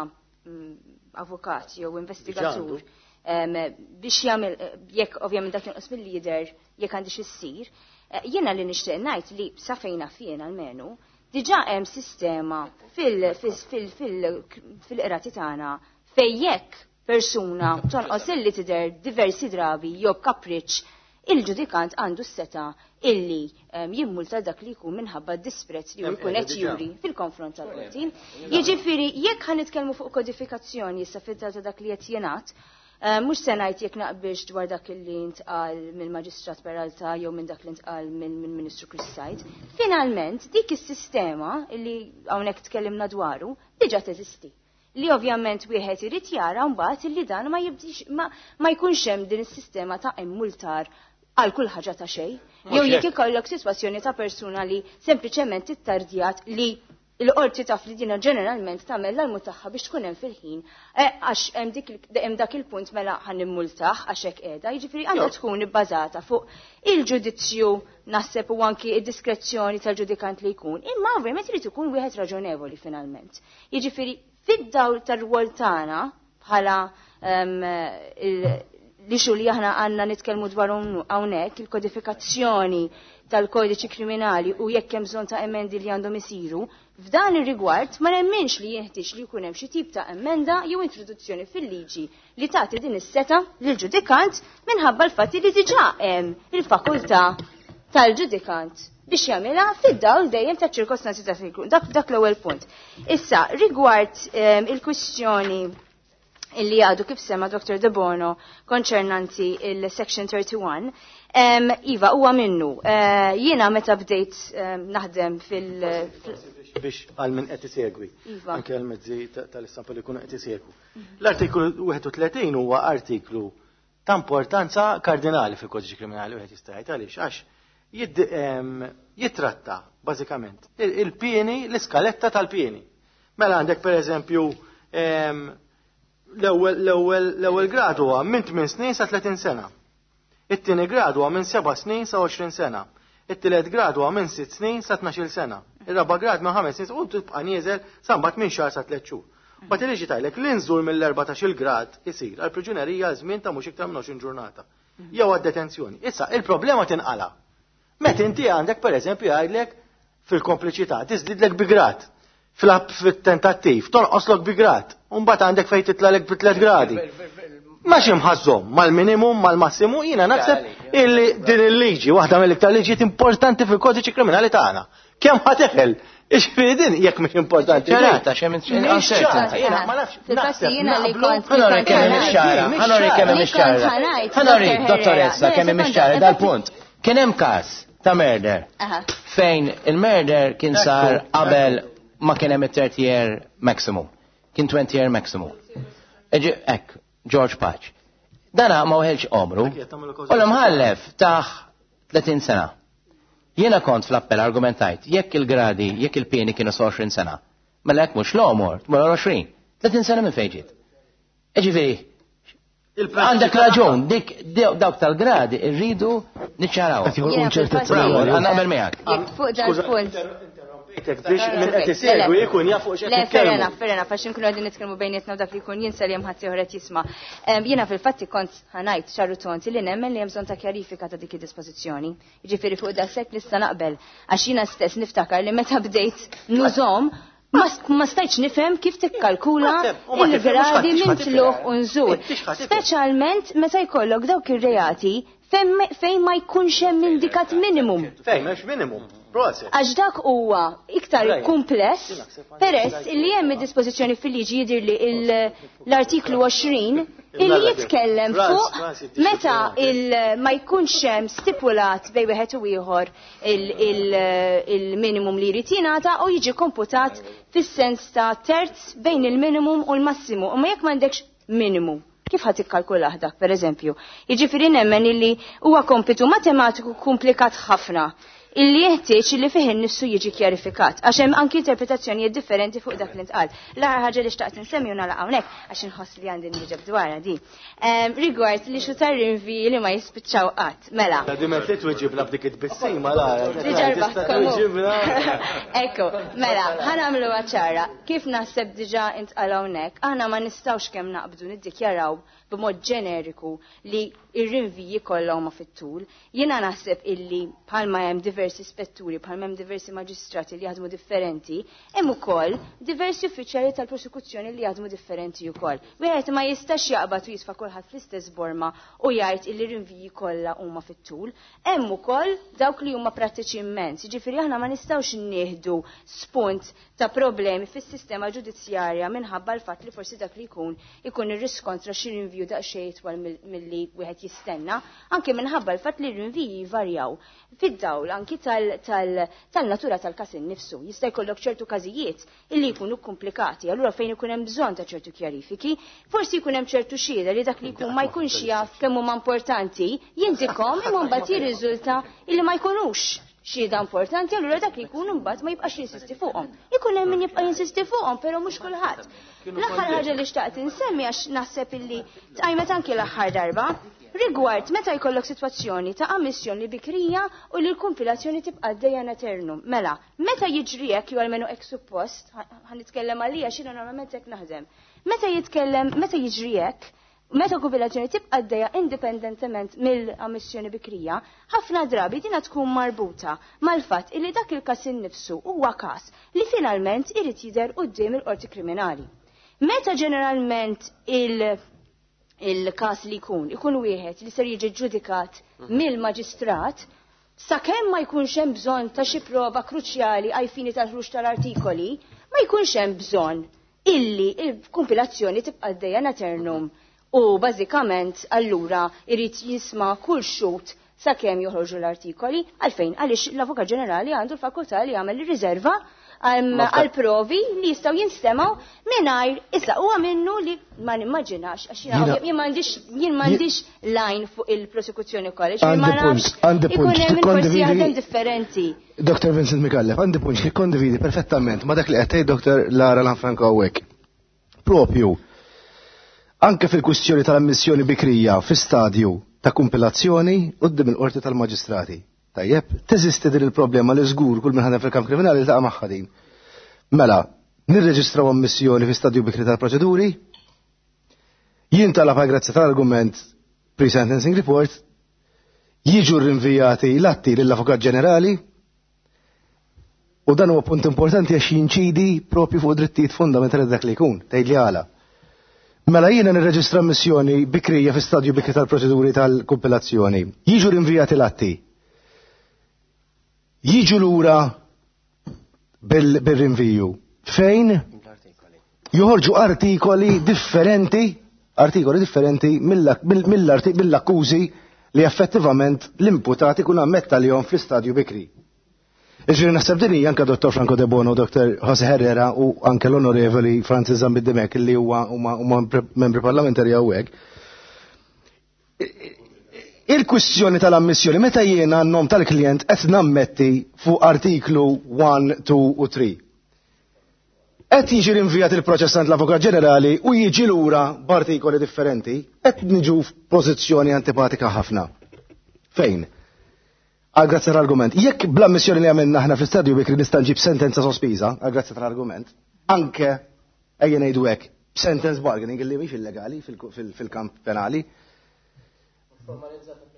avukat jew investigatur biex jagħmel jekk ovvjament dak jonqos mill-lider jekk għandix issir, jiena li nixtieq ngħid li sa fejn naf jien almenu diġà hemm sistema fil-qrati tagħna fejn jekk persuna tonqos illi tidher diversi drabi jew kapriċċ, il-ġudikant għandu s-seta illi jimmulta dak li jkun minħabba disprezz li jkun qed juri fil-konfront tal-qorti. Jiġifieri jekk ħa nitkellmu fuq kodifikazzjoni issa fid-data dak li qed jingħad, mhux se ngħid jekk naqbilx dwar dak li ntqal mill-Maġistrat Peralta jew minn dak li ntqal mill-Ministru Chris Said. Finalment dik is-sistema li hawnhekk tkellimna dwaru diġà teżisti. Li ovvjament wieħed irid jara mbagħad li dan ma jibdix ma jkunx hemm din is-sistema ta' immultar għal kull ħaġa ta' xejn. Jew jekk ikollok sitwazzjoni ta' persuna li sempliċement ittardjat li l-qorti taf li dina ġeneralment tagħmel l-almu tagħha biex tkun hemm fil-ħin, għax hemm dak il-punt mela ħan nimmultah għax hekk qiegħda. Jiġifieri għandha tkun ibbażata fuq il-ġudizzju naħseb u anki id-diskrezzjoni tal-ġudikant li jkun, imma ovvjament irid ikun wieħed raġonevoli finalment. Jiġifieri fid-dawl tar-rwol tagħna bħala li xu li aħna għandna nitkellmu dwar hawnhekk il-kodifikazzjoni tal-kodiċi kriminali u jekk hemm bżonn ta' emendi li għandhom isiru, f'dan ir-rigward ma nemminx li jinħtieġ li jkun hemm xi tip ta' emenda jew introduzzjoni fil-liġi li tagħti din is-seta lill-ġudikant minħabba l-fatt li diġà hemm il-fakultà tal-ġudikant biex jagħmilha fid-dawl dejjem taċ-ċirkostanzi ta' fejn ikun. Dak l-ewwel punt. Issa, rigward il-kwistjoni illi għadu kif sema Dr. De Bono konċernanti il-Section 31, Iva, huwa minnu. Jiena meta bdejt naħdem fil- Biex għal min qed isegwi. Iva. Anke għal mezzi tal-istampa li jkunu qed isegwu. L-artiklu 31 huwa artiklu ta' importanza kardinali fil-kodiċi kriminali wieħed jista' jgħid għaliex għax jitratta bażikament il-pieni, l-iskaletta tal-pieni. Mela għandek pereżempju l-ewwel grad huwa minn 8 snin sa 30 sena. It-tieni grad huwa minn 7 snin sa 20 sena. It-tielet grad huwa minn 6 snin sa 12 sena. Ir-raba' grad minn 5 snin u tibqa' nieżel sa mbagħad minn xahar sa 3 xhur. Mbagħad il-liġi tgħidlek li nżul mill-14 grad isir għal priġunerija żmien ta' mhux iktar minn 20 ġurnata. Jew għad-detenzjoni. Issa, il-problema tinqala. Meta inti għandek, pereżempju, jgħidlek fil-kompliċità tiżdidlek bi grad. Fil-tentattiv, tonqoslok bi grad. Mbagħad għandek fejn titlalek bi 3 gradi. Ma ximħazzom, mal-minimum, mal-massimu, jiena naħseb illi din il-liġi, waħda mill-iktar liġijiet importanti fil-kodiċi kriminali tagħna. Kemm ħa teħel? Ixfieri din jekk mhix importanti. Ċarata, xem uncertainty. Jiena ma nafx. Fil-fatti jiena li kont. Ħa nurik kemm hemm ċara, ħa nurik kemm hemm ċara. Ħa nurik, dottoressa, kemm hemm ċara dal-punt. Kien hemm każ ta' murder fejn il-murder kien sar qabel ma kien hemm it-30 year maximum. Kien 20 year maximum. Ek, George Patch. Dana ma weħelx omru. U l-mħallef tah 30 sena. Jiena kont fl-appell argumentajt, jekk il-gradi, jekk il-pieni kienu 20 sena, mela jekk mhux l-omor, tmur 20, 30 sena minn fejn ġiet? Ġifieri, għandek raġun, dik dawk tal-gradi irridu niċċaraw. Qed joħolqu inċertezza. Bravo, għandna naqbel miegħek. Jekk fuq dal-punt. Biex minn qed isegwi jkun jaf fuq x'qed Le, nitkellmu. Fair enough, fair enough, għax nkunu għadin nitkellmu bejnietna u dak li jkun jinsa li hemm ħadd ieħor qed jisma'. Jiena fil-fatti kont ħa ngħid ċar u tond li nemmen li hemm bżonn ta' kjarifika ta' dik id-dispożizzjoni. Jiġifieri fuq daqshekk nista' naqbel, għax jiena stess niftakar li meta bdejt nużahom ma stajtx nifhem kif tikkalkula U ma tifhem, mhux il-gradi ħadd minn tifhem. tlugħ u nżul. Intix ħadd tifhem. Speċjalment meta jkollok dawk ir-reati fejn ma jkunx hemm indikat minimum. Fejn m'hemmx minimum. Proset. Għax dak huwa iktar Right. kumpless peress illi hemm id-dispożizzjoni fil-liġi, jidhir li l-artiklu 20, illi jitkellem fuq meta ma jkunx hemm stipulat bejn wieħed u ieħor il-minimum li jrid jingħata u jiġi komputat fis-sens ta' terz bejn il-minimum u l-massimu. U ma jekk m'għandekx minimum, kif ħa tikkalkulah dak, per eżempju? Jiġifieri nemmen illi huwa kompitu matematiku komplikat ħafna illi jeħtieġ illi fih innifsu jiġi kjarifikat, għax hemm anki interpretazzjonijiet differenti fuq dak li ntqal. L-aħħar ħaġa li xtaqt insemmi u nagħlaq hawnhekk, għax inħoss li għandi nwieġeb dwarha di. Rigward li xu tar-rinviji li ma jispiċċaw qatt. Mela. Ta' dimet li tweġibna b'dik it-tbissima la. Diġà rbaħtkom. Tweġibna. Ekku, mela, ħa nagħmlu ċara. Kif naħseb diġà intqal hawnhekk, aħna ma nistgħux kemm naqbdu niddikjaraw b'mod ġeneriku li ir-rinviji kollha huma fit-tul. Jiena naħseb illi bħalma hemm diversi spetturi, bħalma hemm diversi maġistrati li jaħdmu differenti, hemm ukoll diversi uffiċjali tal-prosekuzzjoni li jaħdmu differenti wkoll. Wieħed ma jistax jaqbad u jitfa' kulħadd fl-istess borma u jgħid illi rinviji kollha huma fit-tul. Hemm ukoll dawk li huma prattiċi immens. Jiġifieri aħna ma nistgħux nieħdu spunt ta' problemi fis-sistema ġudizzjarja minħabba l-fatt li forsi dak li jkun ikun irriskontra xi rinviju daqsxejn itwal milli wieħed jistenna, anke minħabba l-fatt li r-rinviji jvarjaw fid-dawl anki tal-natura tal-każ innifsu. Jista' jkollok ċertu każijiet illi jkunu komplikati, allura fejn ikun hemm bżonn ta' ċertu kjarifiki, forsi jkun hemm ċertu xhieda li dak li jkun ma jkunx jaf kemm huma importanti, jindikom, imma mbagħad jirriżulta illi ma jkunux xhieda importanti, allura dak li jkun imbagħad ma jibqax jinsisti fuqhom. Ikun hemm min jibqa' jinsisti fuqhom, però mhux kulħadd. L-aħħar ħaġa li xtaqt insemmi, għax naħseb illi tqajmet anki l-aħħar darba, rigward meta jkollok sitwazzjoni ta' ammissjoni bikrija u li l-kumpilazzjoni tibqa' għaddejja eternum. Mela, meta jiġri hekk, jew almenu hekk suppost, ħa nitkellem għalija x'jiena normalment hekk naħdem. Meta jiġri hekk, meta kumpilazzjoni tibqa' għaddejja indipendentement mill-ammissjoni bikrija, ħafna drabi dina tkun marbuta mal-fatt illi dak il-każ innifsu huwa każ li finalment irid jidher quddiem il-qorti kriminali. Meta ġeneralment il-każ li jkun wieħed li ser jiġi ġudikat mill-maġistrat, sakemm ma jkunx hemm bżonn ta' xi prova kruċjali għal fini tal-ħruġ tal-artikoli, ma jkunx hemm bżonn illi il-kumpilazzjoni tibqa' għaddejja eternum u bażikament allura irid jisma' kull xhud sakemm joħorġu l-artikoli. Għalfejn? Għaliex l-Avukat Ġenerali għandu l-fakultà li jagħmel riserva għal provi li jistgħu jinstemgħu mingħajr. Issa, huwa minnu li ma nimmaġinax, għax jien m'għandix line fuq il-prosekuzzjoni college, ma nafx, ikun hemm forsi jaħdem differenti. Dr. Vincent Micallef, għandi punt li kondividi perfettament ma dak li qed Dr. Lara Lanfranco hawnhekk. Propju, anke fil-kwistjoni tal-ammissjoni bikrija fi stadju ta' kumpilazzjoni quddiem il-qorti tal-maġistrati. Tajjeb, teżisti din il-problema li żgur kull min ħadem fil-kamp kriminali ltaqa' magħha din. Mela, nirreġistraw ammissjoni fi stadju bikri tal-proċeduri, jintalab għal grazzi tal-argument pre-sentencing report, jiġu rinvijati l-atti lill-Avukat Ġenerali, u dan huwa punt importanti għax jinċidi propju fuq drittijiet fundamentali dak li jkun, tgħid li għala. Mela jiena nirreġistra ammissjoni bikrija fi stadju bikri tal-proċeduri tal-kumpilazzjoni. Jiġu rinvijati l-atti. Jiġu lura bil-rinviju. Fejn joħorġu artikoli differenti, artikoli differenti mill-akkużi li effettivament l-imputat ikun ammetta li fl-istadju bikri. Iġri naħseb din hija anke Dr. Franco De Bono, Dr. Jose Herrera u anke l-Onorevoli Francis Zammit Dimech li huwa huma membri parlamentari hawnhekk. Il-kwistjoni tal-ammissjoni meta jiena n-nom tal-klient qed nammetti fuq artiklu 1, 2 u 3. Qed jiġi rinvijat il-proċess għand l-Avukat Ġenerali u jiġi lura b'artikoli differenti, qed niġu f'pożizzjoni antipatika ħafna. Fejn? Għal grazzi tal-argument. Jekk bl-ammissjoni li għamilna aħna fl-istadju bikri nista' nġib sentenza sospiża, għal grazzi tal-argument, anke ejja ngħidu hekk, sentence bargaining li mhix illegali fil-kamp penali.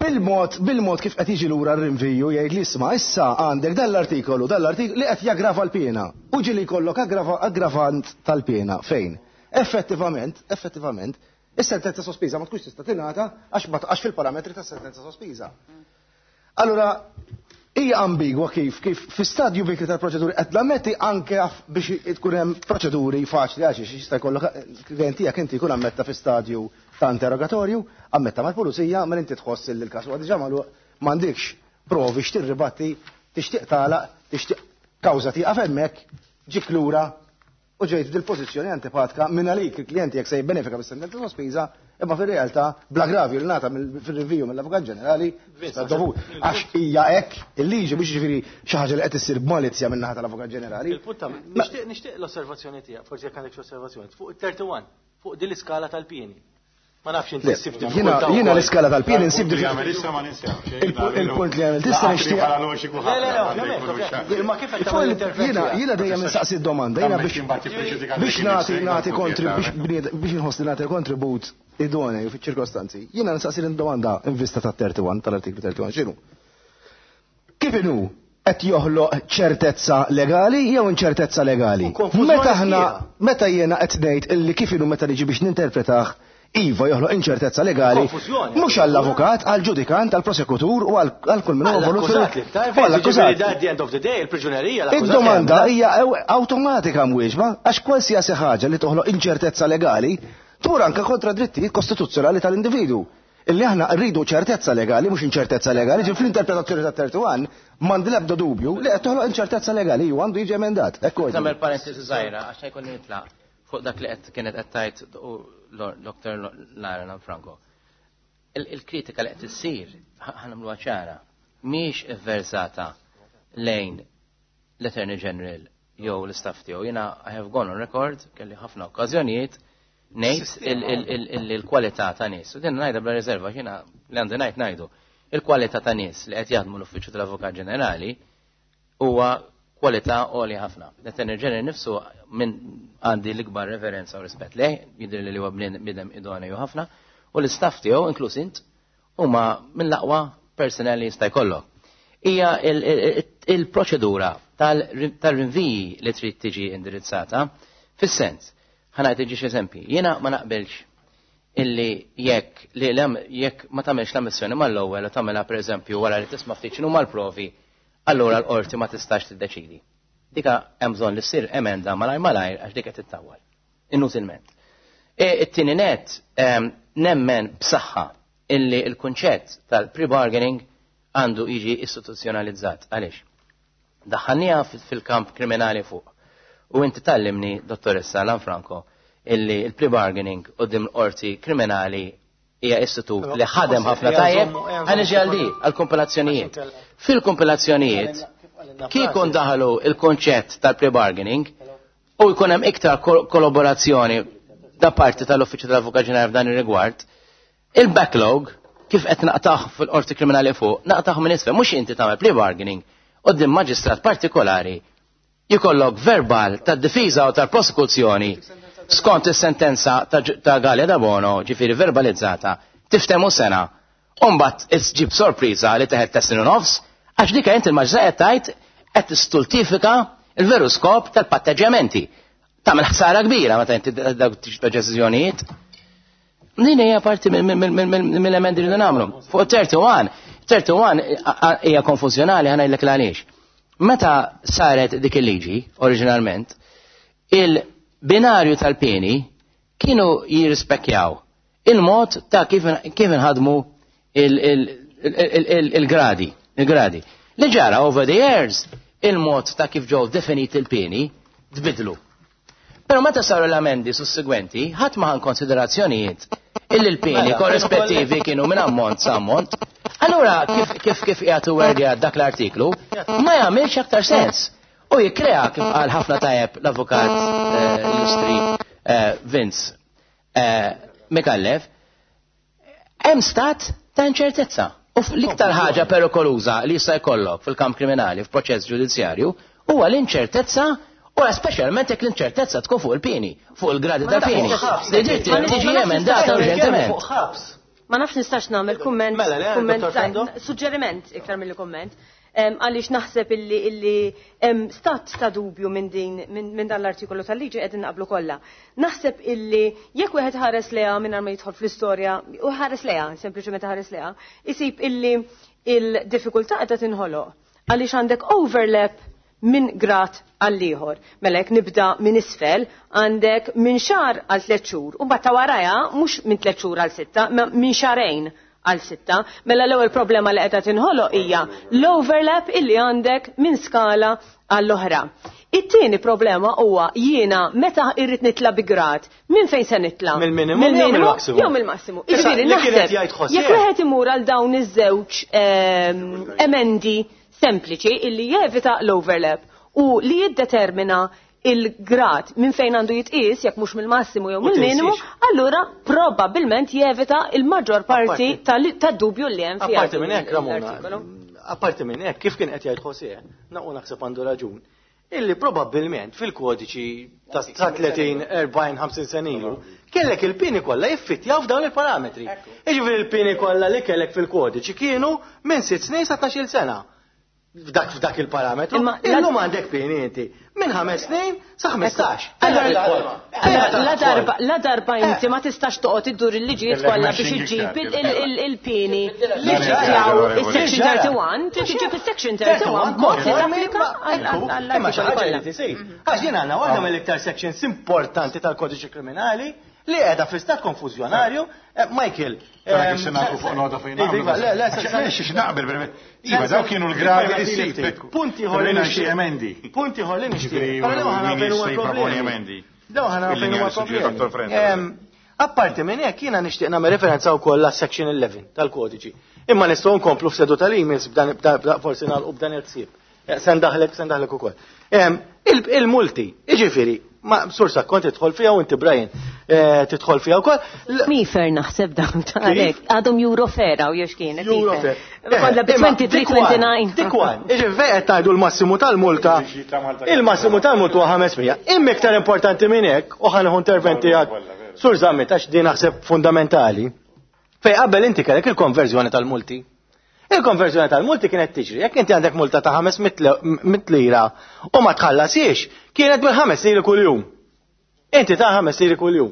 Bil-mod, bil-mod kif qed jiġi lura r-rinviju jgħid li isma' issa għandek dan l-artikolu, dan l-artikolu li qed jaggrava l-piena. U ġieli jkollok aggravant tal-piena fejn? Effettivament, effettivament, is-sentenza sospiża ma tkunx tista' tingħata għax ma taqax fil-parametri tas-sentenza sospiża. Allura, hija ambigwa kif kif fi stadju bikri tal-proċeduri qed nammetti anke biex tkun hemm proċeduri faċli għax jista' jkollok klient tiegħek inti jkun ammetta fi stadju ta' interrogatorju, ammetta mal-pulizija, mela inti tħoss li l-każ huwa diġà magħluq m'għandikx provi x'tirribatti, tixtieq tagħlaq, tixtieq kawża tieqaf hemmhekk, ġik lura u ġejt f'dil-pożizzjoni antipatka minn għalik il-klijent jekk se jibbenefika bis-sentenza sospiża, imma fir-realtà bl-aggravju li ngħata fir-rinviju mill-Avukat Ġenerali dovut. Għax hija hekk il-liġi mhux jiġifieri xi ħaġa li qed issir b'malizja min-naħa tal-Avukat Ġenerali. Il-punt nixtieq nixtieq l-osservazzjoni tiegħek, forsi jekk għandek xi osservazzjoni, fuq it-31, fuq din l-iskala tal-pieni. Ma nafx inti ssib diffikultà. Jiena l-iskala tal-pieni nsib diffikultà. Il-punt li għamilt issa nixtieq. Ma kif qed tagħmel Jiena jiena dejjem insaqsi d-domanda, jiena biex nagħti nagħti biex inħoss li nagħti kontribut idoneu fiċ-ċirkostanzi. Jiena nsaqsi l-domanda in vista tat-31 tal-artiklu 31 x'inhu? Kif inhu qed joħloq ċertezza legali jew inċertezza legali? Meta aħna meta jiena qed ngħid illi kif inhu meta niġi biex ninterpretah iva joħloq inċertezza legali mhux għall-avukat, għall-ġudikant, għall-prosekutur u għal kull min huwa involut. Għall-akkużat. At the end of the day, il-priġunerija. Id-domanda hija awtomatika mwieġba għax kwalsiasi ħaġa li toħloq inċertezza legali tmur anke kontra drittijiet kostituzzjonali tal-individu. Illi aħna rridu ċertezza legali, mhux inċertezza legali, ġi fl-interpretazzjoni ta' 31 m'għandi l-ebda dubju li qed toħloq inċertezza legali u għandu jiġi emendat. Ekku. Tagħmel parentesi żgħira għax jkun nitlaq fuq dak li qed kienet qed tgħid Dr. Lara Lanfranco. Il-kritika li qed issir ħanamluha ċara mhix ivversata lejn l-Attorney General jew l-istaff tiegħu. Jiena I have gone on record kelli ħafna okkażjonijiet ngħid il-kwalità ta' nies. U din ngħidha bla riserva jiena li għandi ngħid ngħidu. Il-kwalità ta' nies li qed jaħdmu l-Uffiċċju tal-Avukat Ġenerali huwa kwalità għolja ħafna. L-Attorney General nifsu minn għandi l-ikbar reverenza u rispett lejh, jidher li huwa bniedem idoneu ħafna, u l-istaff tiegħu inkluż int huma mill-aqwa personnel li jista' jkollok. Hija il-proċedura tal-rinviji li trid tiġi indirizzata fis-sens. Ħa nagħti ġiex eżempji. Jiena ma naqbilx illi jekk li jekk ma tagħmilx l-ammissjoni mal-ewwel u tagħmilha pereżempju wara li tisma' ftit x'inhu mal-provi, allura l-qorti ma tistax tiddeċidi. Dika hemm bżonn li ssir emenda malajr malajr għax dik qed tittawwal. Inutilment. It-tieni net nemmen b'saħħa illi l-kunċett tal-pre-bargaining għandu jiġi istituzzjonalizzat. Għaliex? Daħħalniha fil-kamp kriminali fuq. U inti tallimni, dottoressa Lanfranco, illi il-pre-bargaining quddiem l-qorti kriminali hija istitut li ħadem ħafna tajjeb għal għal di, għal-kompilazzjonijiet. Fil-kompilazzjonijiet, kieku ndaħlu il-konċett tal-pre-bargaining u jkun hemm iktar kollaborazzjoni da parti tal-Uffiċċju tal-Avukat Ġenerali f'dan ir-rigward, il-backlog kif qed naqtaħ fil-qorti kriminali fuq, naqtaħ minn isfel, mhux inti tagħmel plea bargaining quddiem maġistrat partikolari jkollok verbal tad-difiża u tal-prosekuzzjoni skont is-sentenza ta' Galea Debono, ġifieri verbalizzata, tiftemu sena, u mbagħad ġib sorpriża li teħed test u nofs, għax dik inti il-maġistrat qed tgħid qed tistultifika il-veru skop tal-patteġġjamenti. Tagħmel ħsara kbira meta inti dawk deċiżjonijiet. Din hija parti mill-emendi li nagħmlu. Fuq 31, 31 hija konfużjonali ħa ngħidlek għaliex. Meta saret dik il-liġi, oriġinalment, il-binarju tal-pieni kienu jirrispekjaw il-mod ta' kif inħadmu il-gradi. Il-gradi. Li ġara over the years, il-mod ta' kif ġew definiti il-pieni tbidlu. Pero meta saru l-amendi sussegwenti, ħadd ma konsiderazzjonijiet illi l-pieni korrispettivi kienu minn ammont sa ammont. Allura kif kif kif qiegħed wordja dak l-artiklu ma jagħmilx aktar sens. U jikkrea kif qal ħafna tajjeb l-avukat illustri Vince Micallef, hemm stat ta' inċertezza. U l-iktar ħaġa perikoluża li jista' jkollok fil-kamp kriminali f'proċess ġudizzjarju huwa l-inċertezza u speċjalment jekk l-inċertezza tkun fuq il-pieni, fuq il-gradi ta' pieni. Li tiġi emendata urġentement. Ma nafx nistax nagħmel kumment, kumment, suġġeriment iktar mill kumment. Għaliex naħseb illi hemm stat ta' dubju minn din minn dan l-artikolu tal-liġi qegħdin naqblu kollha. Naħseb illi jekk wieħed ħares leha mingħajr ma jidħol fl-istorja u ħares leha, sempliċement ħares leha, isib illi il-diffikultà qiegħda tinħoloq għaliex għandek overlap minn grad għall-ieħor. Mela jekk nibda minn isfel, għandek minn xahar għal 3 xhur, u mbagħad ta' warajha mhux minn 3 xhur għal 6, ma minn xahrejn għal 6. Mela l-ewwel problema li qiegħda tinħoloq hija l-overlap illi għandek minn skala għall-oħra. It-tieni problema huwa jiena meta irrid nitla bi grad, minn fejn se nitla? Mill-minimu jew mill-massimu? Jew mill-massimu. Jiġifieri naħseb jekk wieħed imur għal dawn iż-żewġ emendi sempliċi illi jevita l-overlap u li jiddetermina il-grad minn fejn għandu jitqies jekk mhux mill-massimu jew mill-minimu, allura probabbilment jevita il-maġġor parti tad-dubju li hemm fiha. Apparti minn hekk, Ramona, apparti minn hekk, kif kien qed jgħid José, naqu naħseb għandu raġun, illi probabbilment fil-kodiċi ta' 30, 40, 50 sena ilu, kellek il-pieni kollha jiffittjaw f'dawn il-parametri. Jiġifieri il-pieni kollha li kellek fil-kodiċi kienu minn 6 snin sa 12 sena. F'dak il-parametru. Illum għandek pieni inti minn 5 snin sa 15. La darba inti ma tistax toqgħod iddur il-liġijiet kollha biex iġġib il-pieni li ġittjaw is-section 31, trid iġġib is-section 31 b'mod li tapplika għall xi ħaġa li tisir. Għax din għandna waħda mill-iktar sections importanti tal-kodiċi kriminali li qiegħda fi stat konfużjonarju. Michael, fuq nota fejn naqbel, Iva, daw kienu l-gradi li ssib. Punti ħolli xi emendi. Punti ħolli nixtieq. Daw ħana fejn huwa problemi. Apparti minn hekk jiena nixtieq nagħmel referenza wkoll għas-section 11 tal-kodiċi. Imma nistgħu nkomplu f'seduta li jmiss b'dan forsi nagħlqu b'dan il-ħsieb. Se ndaħlek ukoll. Il-multi, jiġifieri, ma sursa kont tidħol fiha u inti Brian tidħol fiha wkoll. Mifer naħseb dawn għalek, għadhom Eurofair u jex kienet. Eurofair. Kollha bi 2329. Dik one. Jiġifieri qed tgħidu l-massimu tal-multa. Il-massimu tal-multa huwa 500. Imma iktar importanti minn hekk u ħa nieħu intervent tiegħek. Sur Zammit għax din naħseb fundamentali. Fej qabel inti kellek il-konverżjoni tal-multi. Il-konverżjoni tal-multi kienet tiġri, jekk inti għandek multa ta' 500 lira u ma tħallasiex, kienet bil-5 liri kuljum. Inti ta' 5 liri kuljum.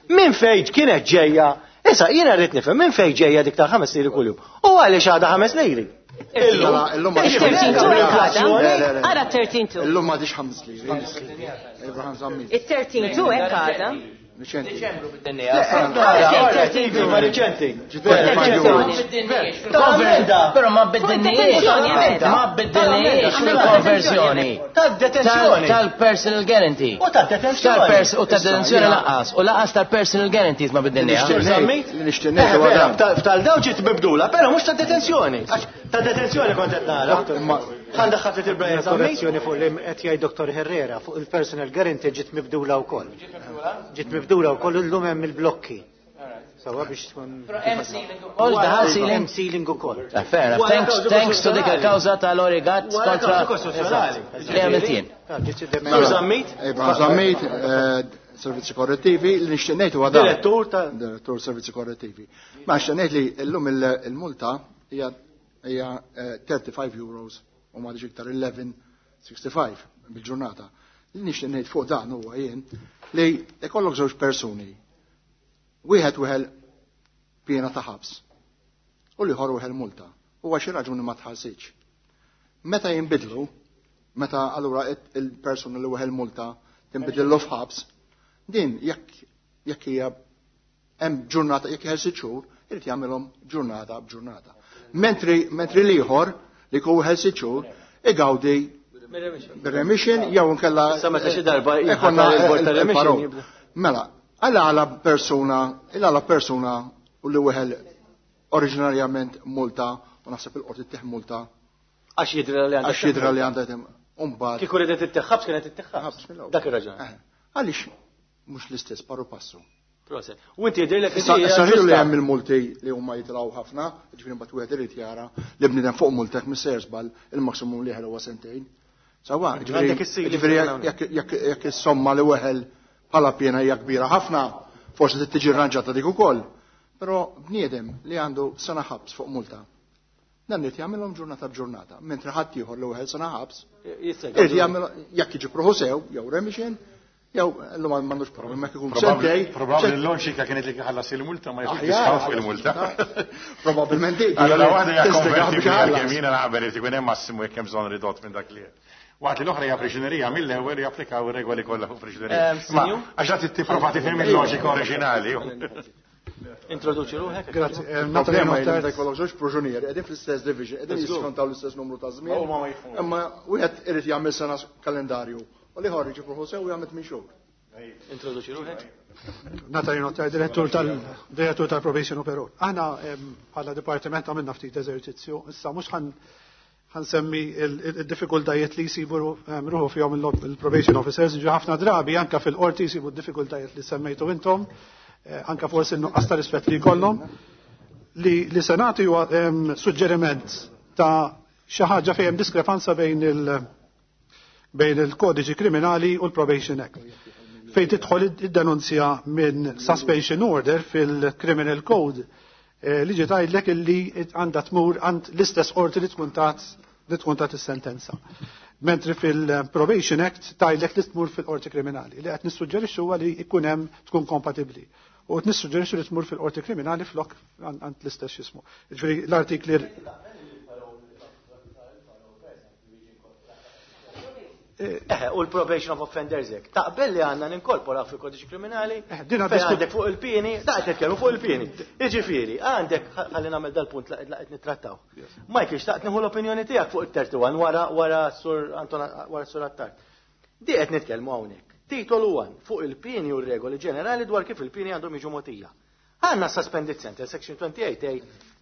Min fejn kienet ġejja, issa jiena rrid nifhem minn fejn ġejja dik ta' 5 liri kuljum. U għaliex għadha 5 liri? Illum Ara 13 Illum m'għadix 5 liri. Il-13 hekk għadha. Riċenti. Però ma biddilniex. Ma biddilniex fil-konversjoni. Tad-detenzjoni. Tal-personal guarantee. U tad-detenzjoni. U tad-detenzjoni laqas. U laqas tal-personal guarantees ma biddilniex. F'tal-daw ġiet mibdula, però mhux tad-detenzjoni. Tad-detenzjoni kont qed nara. Ħandaħħal ftit il-Brian Korrezzjoni fuq li qed jgħid Dr. Herrera fuq il-personal guarantee ġiet mibdula wkoll. Ġiet mibdula wkoll illum hemm il-blokki. Sawa biex tkun. Hemm ceiling ukoll, daħal ceiling. Hemm ceiling ukoll. Ah, fair enough. Thanks, thanks to dik il-kawża tal-Origat kontra. Li għamilt jien. Sur Zammit? Iva, Zammit, servizzi korrettivi, li nixtieq ngħid huwa dan. Direttur ta' Direttur servizzi korrettivi. Ma nixtieq ngħid li llum il-multa hija 35 euros u ma iktar 11.65 bil-ġurnata. Li nixtieq ngħid fuq dan huwa jien li ikollok żewġ persuni. Wieħed weħel piena ta' ħabs u l-ieħor weħel multa. Huwa xi raġuni ma tħallsitx. Meta jinbidlu, meta allura il-persuna li weħel multa tinbidillu f'ħabs, din jekk hija hemm ġurnata jekk jeħel sitt xhur, irid jagħmilhom ġurnata b'ġurnata. Mentri l-ieħor li jkun weħel sitt xhur igawdi bir-remission jew inkella Issa meta xi darba ikonna jinħatar il-bord tar-remission il-parole. jibda. Mela, għala persuna, għala persuna u li weħel oriġinarjament multa u naħseb il-qorti tieħ multa Għax jidra li għandha. għax jidra li għandha tem. Umbagħad. Kieku ridet it-teħħabs kienet it-teħħabs. Ħabs mill-ewwel. Dak ir-raġun. Għaliex mhux l-istess paru passu. Proset. U inti jidhirlek li Issa hija issa ħilu li ġusta. hemm il-multi li huma jitilgħu ħafna, ġifieri mbagħad wieħed irid jara li bniedem fuq multek mis-sejjer żball il-maksimum li jeħel huwa sentejn. Sawa, Għandek is-ceiling ġifieri hawnhekk. jekk is-somma li weħel bħala piena hija kbira ħafna, forsi trid tiġi rranġata dik ukoll. Però bniedem li għandu sena ħabs fuq multa, dan irid jagħmilhom ġurnata b'ġurnata, mentri ħadd ieħor li weħel sena ħabs, Jista' irid jagħmel jekk jiġi pruħu sew jew remission, jew llum m'għandux problem jekk ikun sentej. Probabbli l-loġika kienet li ħallas il-multa ma jkunx Aħjar, discount fuq il-multa. Probabilment dik. Allora waħda hija Tistiga biex konvertibbli ħallas. għalkemm jiena naqbel irid ikun hemm massimu jekk hemm bżonn ridott minn dak li hemm. Waqt li l-oħra hija priġunerija mill-ewwel japplikaw ir-regoli kollha fuq priġunerija. Ma Sinju? għax qed tipprova tifhem il-loġika oriġinali. Introduċi ruħek. Grazzi. Natalie Problema hi li Notter. meta jkollok żewġ proġunieri qegħdin fl-istess division, qegħdin jiskontaw l-istess numru ta' żmien. Huma ma jifhmux. Imma wieħed irid jagħmel sena kalendarju u l-ieħor jiġi pruħu sew u jagħmel tmien xhur. Introduċi ruħek. Natalie Notter, direttur tal-direttur tal-Probation u Parole. Aħna bħala dipartiment għamilna ftit eżerċizzju, issa mhux ħansemmi il-diffikultajiet li jsibu ruħu fihom il-probation officers, ġi ħafna drabi anka fil-qorti jsibu d-diffikultajiet li semmejtu intom, anka forsi n-nuqqas ta' rispett li jkollhom. Li se nagħti huwa suġġeriment ta' xi ħaġa fejn hemm diskrepanza bejn il-kodiċi kriminali u l-Probation Act. Fejn tidħol id-denunzja minn suspension order fil-Criminal Code li ġi tgħidlek illi għandha tmur għand l-istess qorti li tkun tat is-sentenza. Mentri fil-Probation Act tgħidlek li tmur fil-qorti kriminali. Li qed nissuġġerixxu huwa li jkun hemm tkun kompatibbli. U qed nissuġġerixxu li tmur fil-qorti kriminali flok għand l-istess jismu. Ġifieri l-artikli U l-probation of offenders Act. Taqbel li għandna ninkorpora fil-kodiċi kriminali, Din fejn għandek fuq il-pieni, da qed nitkellmu fuq il-pieni. Jiġifieri, għandek ħalli nagħmel dal-punt li qed nittrattaw. Michael, xtaqt nieħu l-opinjoni tiegħek fuq il-31 wara sur Anton wara sur Attard. Di qed nitkellmu hawnhekk. Titolu 1 fuq il-pieni u r-regoli ġenerali dwar kif il-pieni għandhom jiġu mogħtija. Għandna suspended sentence, section 28A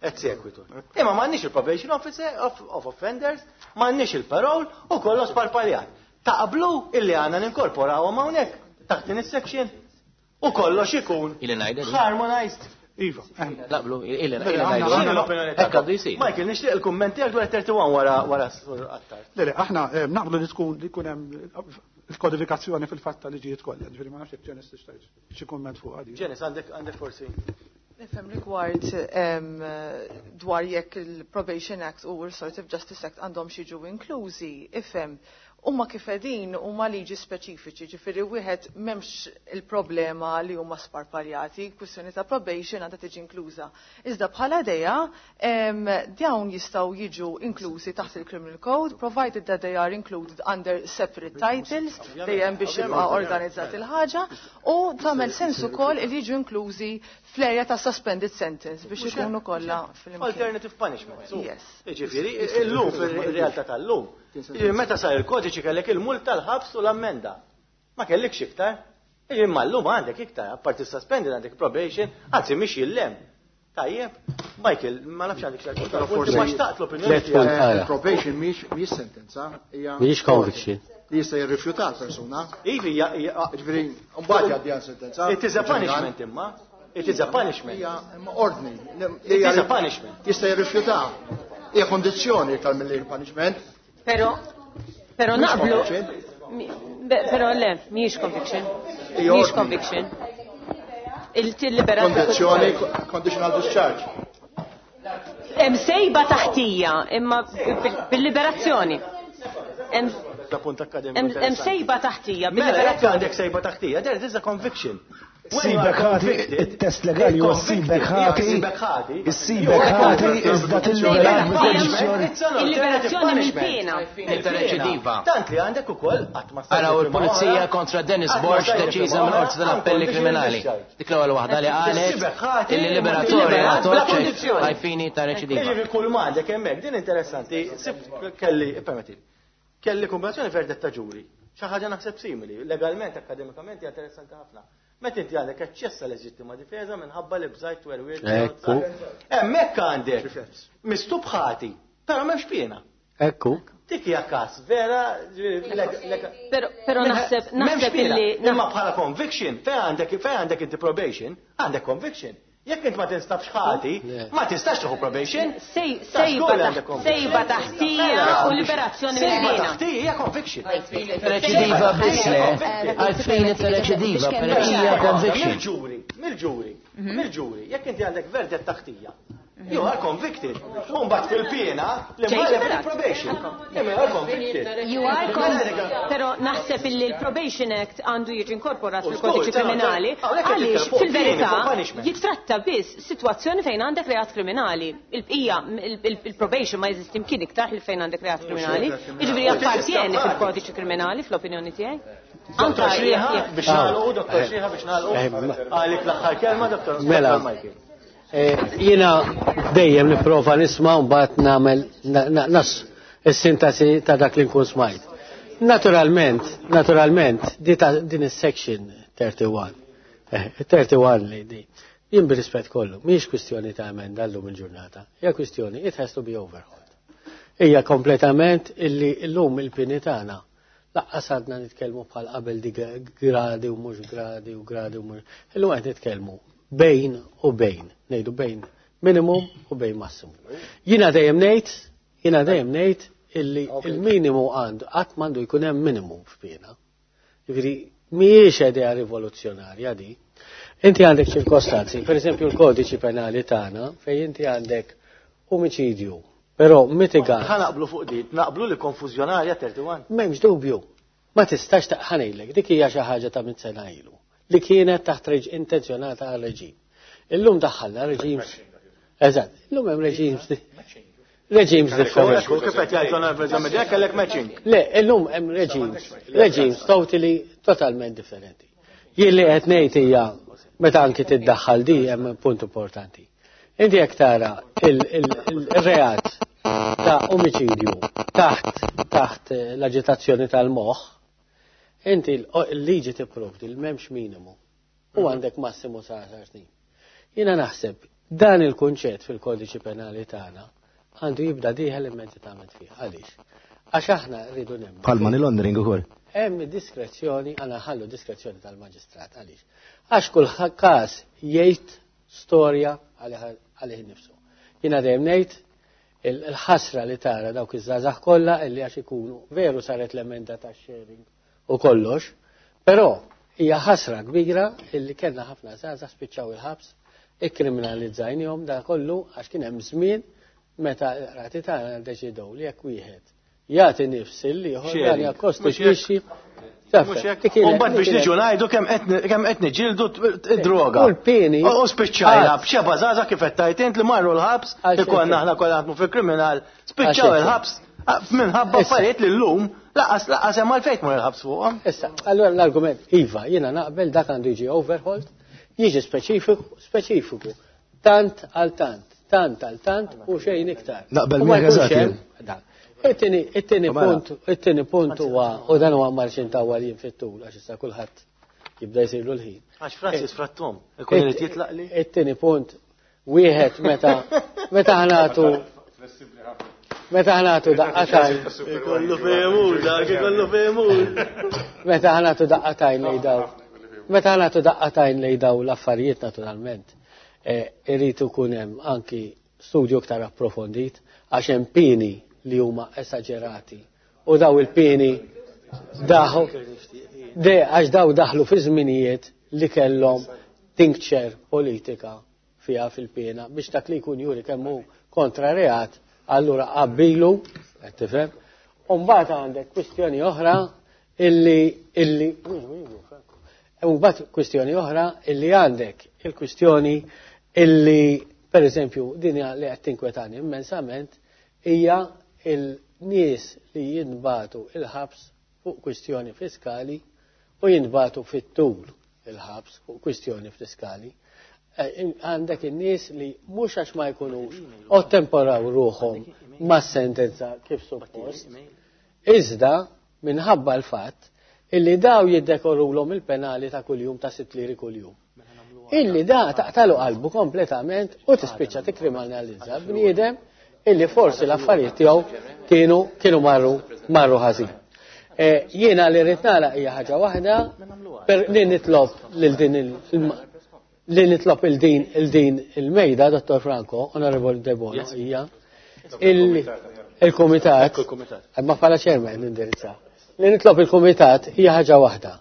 et sequitur. Imma m'għandniex il-probation officer of offenders, m'għandniex il-parole u kollox parpaljat. Taqblu illi għandna ninkorporawhom hawnhekk taħt din is-section u kollox ikun Ili ngħidha di. harmonized. Iva. Naqblu, ili X'inhi ngħidha. l-opinjoni Hekk għandu tagħkom? jsir. Michael, nixtieq il-kumment tiegħek dwar 31 wara sur Attard. Le, aħna naqblu li tkun li jkun hemm il-kodifikazzjoni fil-fatt tal-liġijiet kollha. Ġifieri ma nafx jekk Janice tixtieq xi kumment fuq għadi. Janice, għandek forsi. Nifhem rigward dwar jekk il-Probation Act u Restorative Justice Act għandhom jiġu inklużi, ifhem huma kif qegħdin huma liġi speċifiċi, ġifieri wieħed m'hemmx il-problema li huma sparpaljati, kwistjoni ta' probation għandha tiġi inkluża. Iżda bħala idea dawn jistgħu jiġu inklużi taħt il-Criminal Code, provided that they are included under separate titles, dejjem biex jibqa' organizzat il-ħaġa, u tagħmel sens ukoll li jiġu inklużi fl-area ta' suspended sentence biex ikunu kollha fil-imkien. Alternative punishment. Yes. Jiġifieri, illum fil-realtà tal-lum. Jiġifieri meta sar il-kodiċi kellek il-multa, l-ħabs u l-ammenda. Ma kellekx iktar. Jiġifieri ma llum għandek iktar, apparti suspended għandek probation, anzi mhix jillem. Tajjeb, Michael, ma nafx għandek xi Però forsi ma xtaqt l-opinjoni Tlet punt tiegħek. għala. Il-probation mhix sentenza, hija Mhijiex conviction. li jista' jirrifjuta l-persuna. Ivi, Ġifieri, mbagħad jgħaddi għal sentenza. It is a punishment imma. It is a punishment. Hija imma ordni. It is a punishment. Jista' jirrifjuta. Hija kondizzjoni iktar milli punishment. Pero Mhux naqblu. conviction. Pero le, mhijiex conviction. Hija Mhijiex ordni. conviction. Il-liberazzjoni. Kondizzjoni, conditional discharge. Hemm sejba taħtija, imma bil-liberazzjoni. Hemm Da punt akademiku. hemm interessanti. sejba taħtija Mela, jekk bil-liberazzjoni. għandek sejba taħtija, there is a conviction. When you are Sibek ħati, convicted, il-test legali huwa convicted, sibek ħati, sibek ħati, issibek ħati iżda tilliberat bil-kondizzjoni. It's an alternative Il-liberazzjoni punishment. mill-pena. Il-reċidiva. Tant li għandek ukoll qatt ma stajt Araw nifhimha il-pulizija oħra. kontra Dennis Qatt ma Borg stajt deċiża nifhimha mill-Qorti oħra, tal-Appelli unconditional Kriminali. discharge. Dik l-ewwel waħda li qalet Issibek ħati, illi liberatorja bla toċ kondizzjoni. għajfini ta' reċidiva. Jiġifieri kull ma għandek hemmhekk din interessanti, sibt kelli, permetti, kelli kombinazzjoni verdetta ġuri. Xi ħaġa naħseb simili, legalment, akademikament hija interessanti ħafna. Meta inti għandek aċċess għal leġittima difeża minħabba li bżajt werwiet. Ekku. Hemmhekk għandek mistub ħati, però m'hemmx piena. Ekku. Dik hija każ vera, ġifieri, Pero naħseb M'hemmx naħseb piena. illi Imma bħala conviction, fejn għandek inti probation, għandek conviction. Jekk int ma tinstabx ħati, ma tistax tieħu probation. Ta' żgur li għandek conviction. sejba taħtija u liberazzjoni Sejba mill-pena. taħtija hija conviction. Reċidiva biss le, għalfejn ta' reċidiva, però hija conviction. Mill-ġuri, mill-ġuri, mill-ġuri, jekk inti għandek verdett taħtija, you are convicted. Umbagħad fil-piena li Ġej mħallef liberat. il-probation. Imma you are convicted. You are convicted. Pero naħseb illi l-Probation Act għandu jiġi inkorporat U fil-kodiċi żgur, kriminali hawnhekk qed għaliex nitkellmu fuq fil-verità pieni, fuq punishment. jitratta biss sitwazzjoni fejn għandek reat kriminali. Il-bqija, il-probation ma jeżisti mkien iktar li fejn għandek reat kriminali. Jiġifieri appartieni fil-kodiċi kriminali fl-opinjoni tiegħi. Dottor Anka Xriħa jekk biex nagħlqu, Dottor Xriħa biex nagħlqu. Għalik l-aħħar kelma, Dottor Mela. Dottor Michael. Jiena dejjem nipprova nisma' u mbagħad nagħmel nas is-sintasi ta' dak li nkun smajt. Naturalment, naturalment, di ta' din is-section 31. 31 li di. Jien bir-rispett kollu, mhijiex kwistjoni ta' emenda llum il-ġurnata. Hija kwistjoni it has to be overhauled. Hija kompletament illi llum il-pini tagħna laqqas għadna nitkellmu bħal qabel di gradi u mhux gradi u gradi u mhux. Illum qed nitkellmu bejn u bejn, ngħidu bejn minimum u bejn massimum. Jiena dejjem ngħid, jiena dejjem ngħid illi il-minimu għandu qatt m'għandu jkun hemm minimum f'pena. Jiġifieri mhijiex idea rivoluzzjonarja di. Inti għandek ċirkostanzi, per eżempju l-kodiċi penali tagħna fejn inti għandek omicidju, però mitigat Ħa naqblu fuq di, naqblu li konfużjonarja 31. M'hemmx dubju. Ma tistax taqħanejlek, dik hija xi ħaġa ta' mit sena ilu li kienet taħt reġ intenzjonata għal reġim. Illum daħħalna reġims. Eżatt, illum hemm reġims reġims differenti. Kif qed jgħid l-Onorevoli Zammedia kellek matching. Le, illum hemm reġims, reġims totally totalment differenti. Jien li qed ngħid hija meta anki tiddaħħal di hemm punt importanti. Inti jekk tara il-reat ta' omicidju taħt l-aġitazzjoni tal-moħħ, inti l-liġi tipprovdi li m'hemmx minimu u għandek massimu sa' 10 snin. Jiena naħseb dan il-kunċett fil-kodiċi penali tagħna għandu jibda dieħel immedjatament fih. Għaliex? Għax aħna rridu nemmnu. Bħal money laundering ukoll. Hemm diskrezzjoni, għandna ħallu diskrezzjoni tal-maġistrat għaliex. Għax kull każ jgħid storja għalih innifsu. Jiena dejjem ngħid il-ħasra li tara dawk iż-żgħażagħ kollha illi għax ikunu veru saret l-emenda tax-sharing u kollox, però hija ħasra kbira illi kellna ħafna żgħażagħ spiċċaw il-ħabs, ikkriminalizzajnihom da kollu għax kien hemm żmien meta l-qrati tagħna ddeċidew li jekk wieħed jagħti nifs il-ieħor dan Sharing. jakkostitwixxi Mhux hekk. U mbagħad biex niġu ngħidu kemm qed niġildu id-droga. U l-pieni. U spiċċajna b'xeba żgħażagħ kif qed tajt int li marru l-ħabs, Għal ikollna xejn. aħna kollha naħdmu fil-kriminal, spiċċaw Għal xejn. il-ħabs minħabba Issa. affarijiet li llum laqas laqas hemm għalfejn tmur il-ħabs fuqhom. Issa, allora l-argument, Iva, jiena naqbel dak għandu jiġi overhauled, jiġi speċifiku, speċifiku, tant għal tant, tant għal tant u xejn iktar. Naqbel U ma miegħek jkunx eżatt hemm jien. dan. It-tieni Mela. punt, it-tieni punt huwa u dan huwa marxin tawwa li fit-tul għax issa kulħadd jibda jsirlu l-ħin. Għax Francis frattom, ikun irid jitlaq li. It-tieni punt, wieħed meta meta ħanatu meta ħanatu daqqatajn Ikollu femur, dak ikollu femur. meta ħanatu daqqatajn lej daw. Meta nagħtu daqqa t'għajn lejn dawn l-affarijiet naturalment, irid ikun hemm anki studju iktar approfondit għax hemm pieni li huma esaġerati. U daw il-pieni daħu de għax daw daħlu fi żminijiet li kellhom tincture politika fiha fil-piena biex dak li jkun juri kemm hu kontra reat, allura qabbilu, qed tifhem. U mbagħad għandek kwistjoni oħra illi illi u mbagħad kwistjoni oħra illi għandek il-kwistjoni illi per eżempju din li qed tinkwetani immensament hija il-nies li jinbatu il-ħabs fuq kwistjoni fiskali u jinbatu fit-tul il-ħabs fuq kwistjoni fiskali. Għandek in-nies li mhux għax ma jkunux ottemporaw ruħhom mas-sentenza kif suppost, iżda minħabba l-fatt illi daw jiddekorulhom il-penali ta' kuljum ta' 6 liri kuljum. Illi da taqtalu qalbu kompletament u tispiċċa tikkriminalizza bniedem illi forsi l-affarijiet tiegħu kienu marru ħażin. Jiena li rrid nagħlaq hija ħaġa waħda per li nitlob lil din li nitlob il din il din il-mejda, Dottor Franco, Onorevoli De Bono, hija il-Kumitat, ma bħala chairman nindirizza. Li nitlob il-Kumitat hija ħaġa waħda.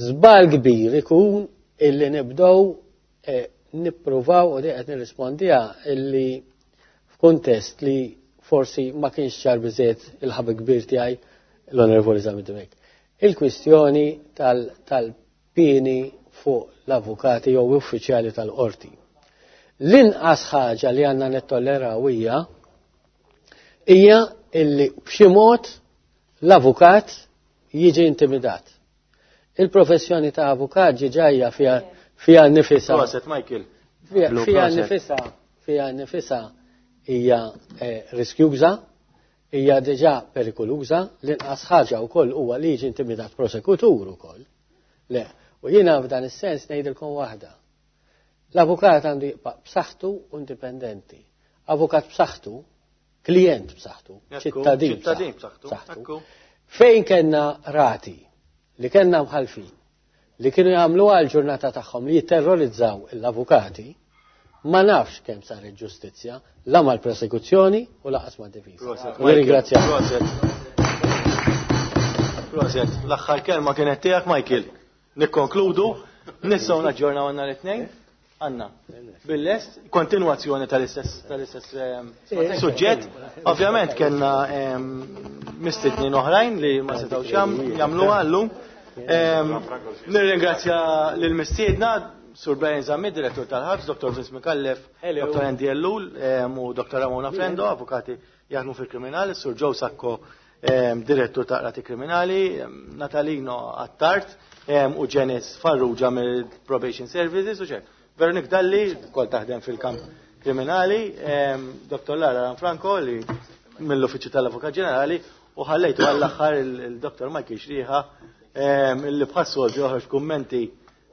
Żball kbir ikun illi nibdew nippruvaw u qed nirrispondiha illi f'kuntest li forsi ma kienx ċar biżejjed il-ħabib kbir tiegħi l-Onorevoli Zammit Dimech. Il-kwistjoni tal-pieni fuq l-avukati jew uffiċjali tal-qorti. L-inqas ħaġa li għandna nittolleraw hija illi b'xi mod l-avukat jiġi intimidat. Il-professjoni ta' avukat ġiġajja fija nifisa. Proset, Michael. Fija nifisa hija riskjuża, hija diġà perikoluża, l-inqas ħaġa wkoll huwa li jiġi intimidat prosekutur ukoll. Le, u jiena f'dan is-sens ngħidilkom waħda. L-avukat għandu jibqa' b'saħħtu u indipendenti. Avukat b'saħħtu, klient b'saħħtu, ċittadin ċittadin b'saħħtu. b'saħħtu. Fejn kellna rati li kellna mħalfin li kienu jagħmlu għal ġurnata tagħhom li jitterrorizzaw l-avukati, ma nafx kemm saret ġustizzja, la mal-prosekuzzjoni u laqas mad-difiża. Proset, Nirringrazzjak. Proset. Proset. L-aħħar kelma kienet tiegħek, Michael. Nikkonkludu, nistgħu naġġornaw għandna l-tnejn. Għanna, bil-lest, kontinuazzjoni tal-istess suġġett. Ovvjament kellna mistednin oħrajn li ma setgħux jagħmluha llum. Nirringrazzja lill-mistiedna, Sur Brian Zammit, direttur tal-ħabs, Dr. Vince Micallef, Dr. Andy Ellul u Dr. Ramona Frendo, avukati jaħdmu fil-kriminali, Sur Joe Sacco, direttur ta' Qrati Kriminali, Natalino Attard u Janice Farrugia mill-Probation Services u ċek. Veronik Dalli, kol taħdem fil-kamp kriminali, Dr. Lara Franco li mill-Uffiċċju tal-Avukat Ġenerali u ħallejtu għall-aħħar il-Dr. Michael Xriħa illi bħas-soltu joħroġ kummenti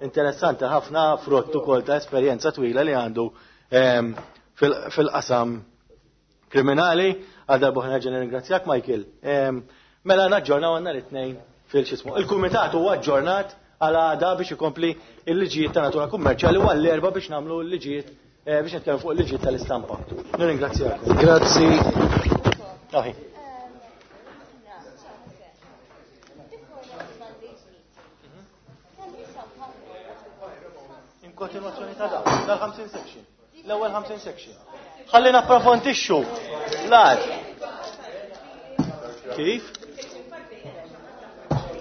interessanti ħafna frott ukoll ta' esperjenza twila li għandu fil-qasam kriminali. Għal darba oħra nerġa' nirringrazzjak, Michael. Mela naġġornaw għandna l-tnejn fil-xismu. Il-kumitat huwa aġġornat għal għada biex ikompli il-liġijiet ta' natura kummerċjali u għall-erba' biex nagħmlu l-liġijiet biex nitkellmu fuq il-liġijiet tal-istampa. Nirringrazzjakom. Grazzi. Ahi. In kontinuazzjoni ta' da, dal-50 section. L-ewwel 50 section. Ħalli napprofondixxu. Lar. Kif?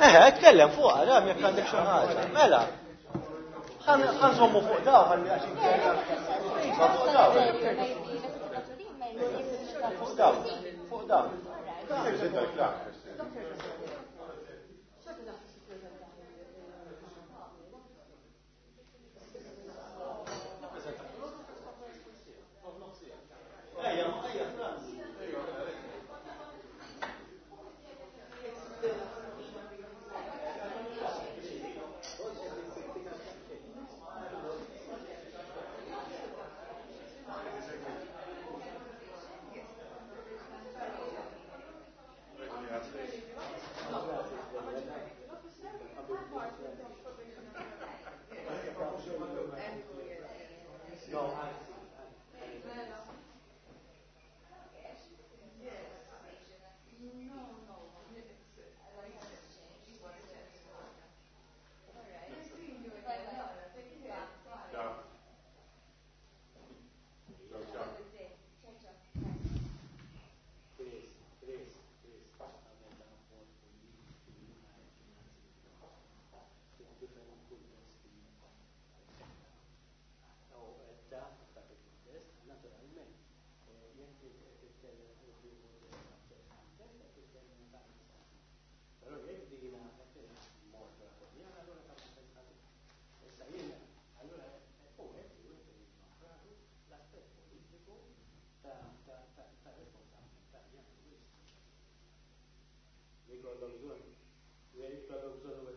Eħe, tkellem fuq, ara, jekk għandek xi ħaġa. Mela. Ħanżommu fuq daw, ħalli għax inkella. Iva, fuq daw. Fuq daw, fuq daw. Li jkollhom bżonn, li jkollhom bżonn.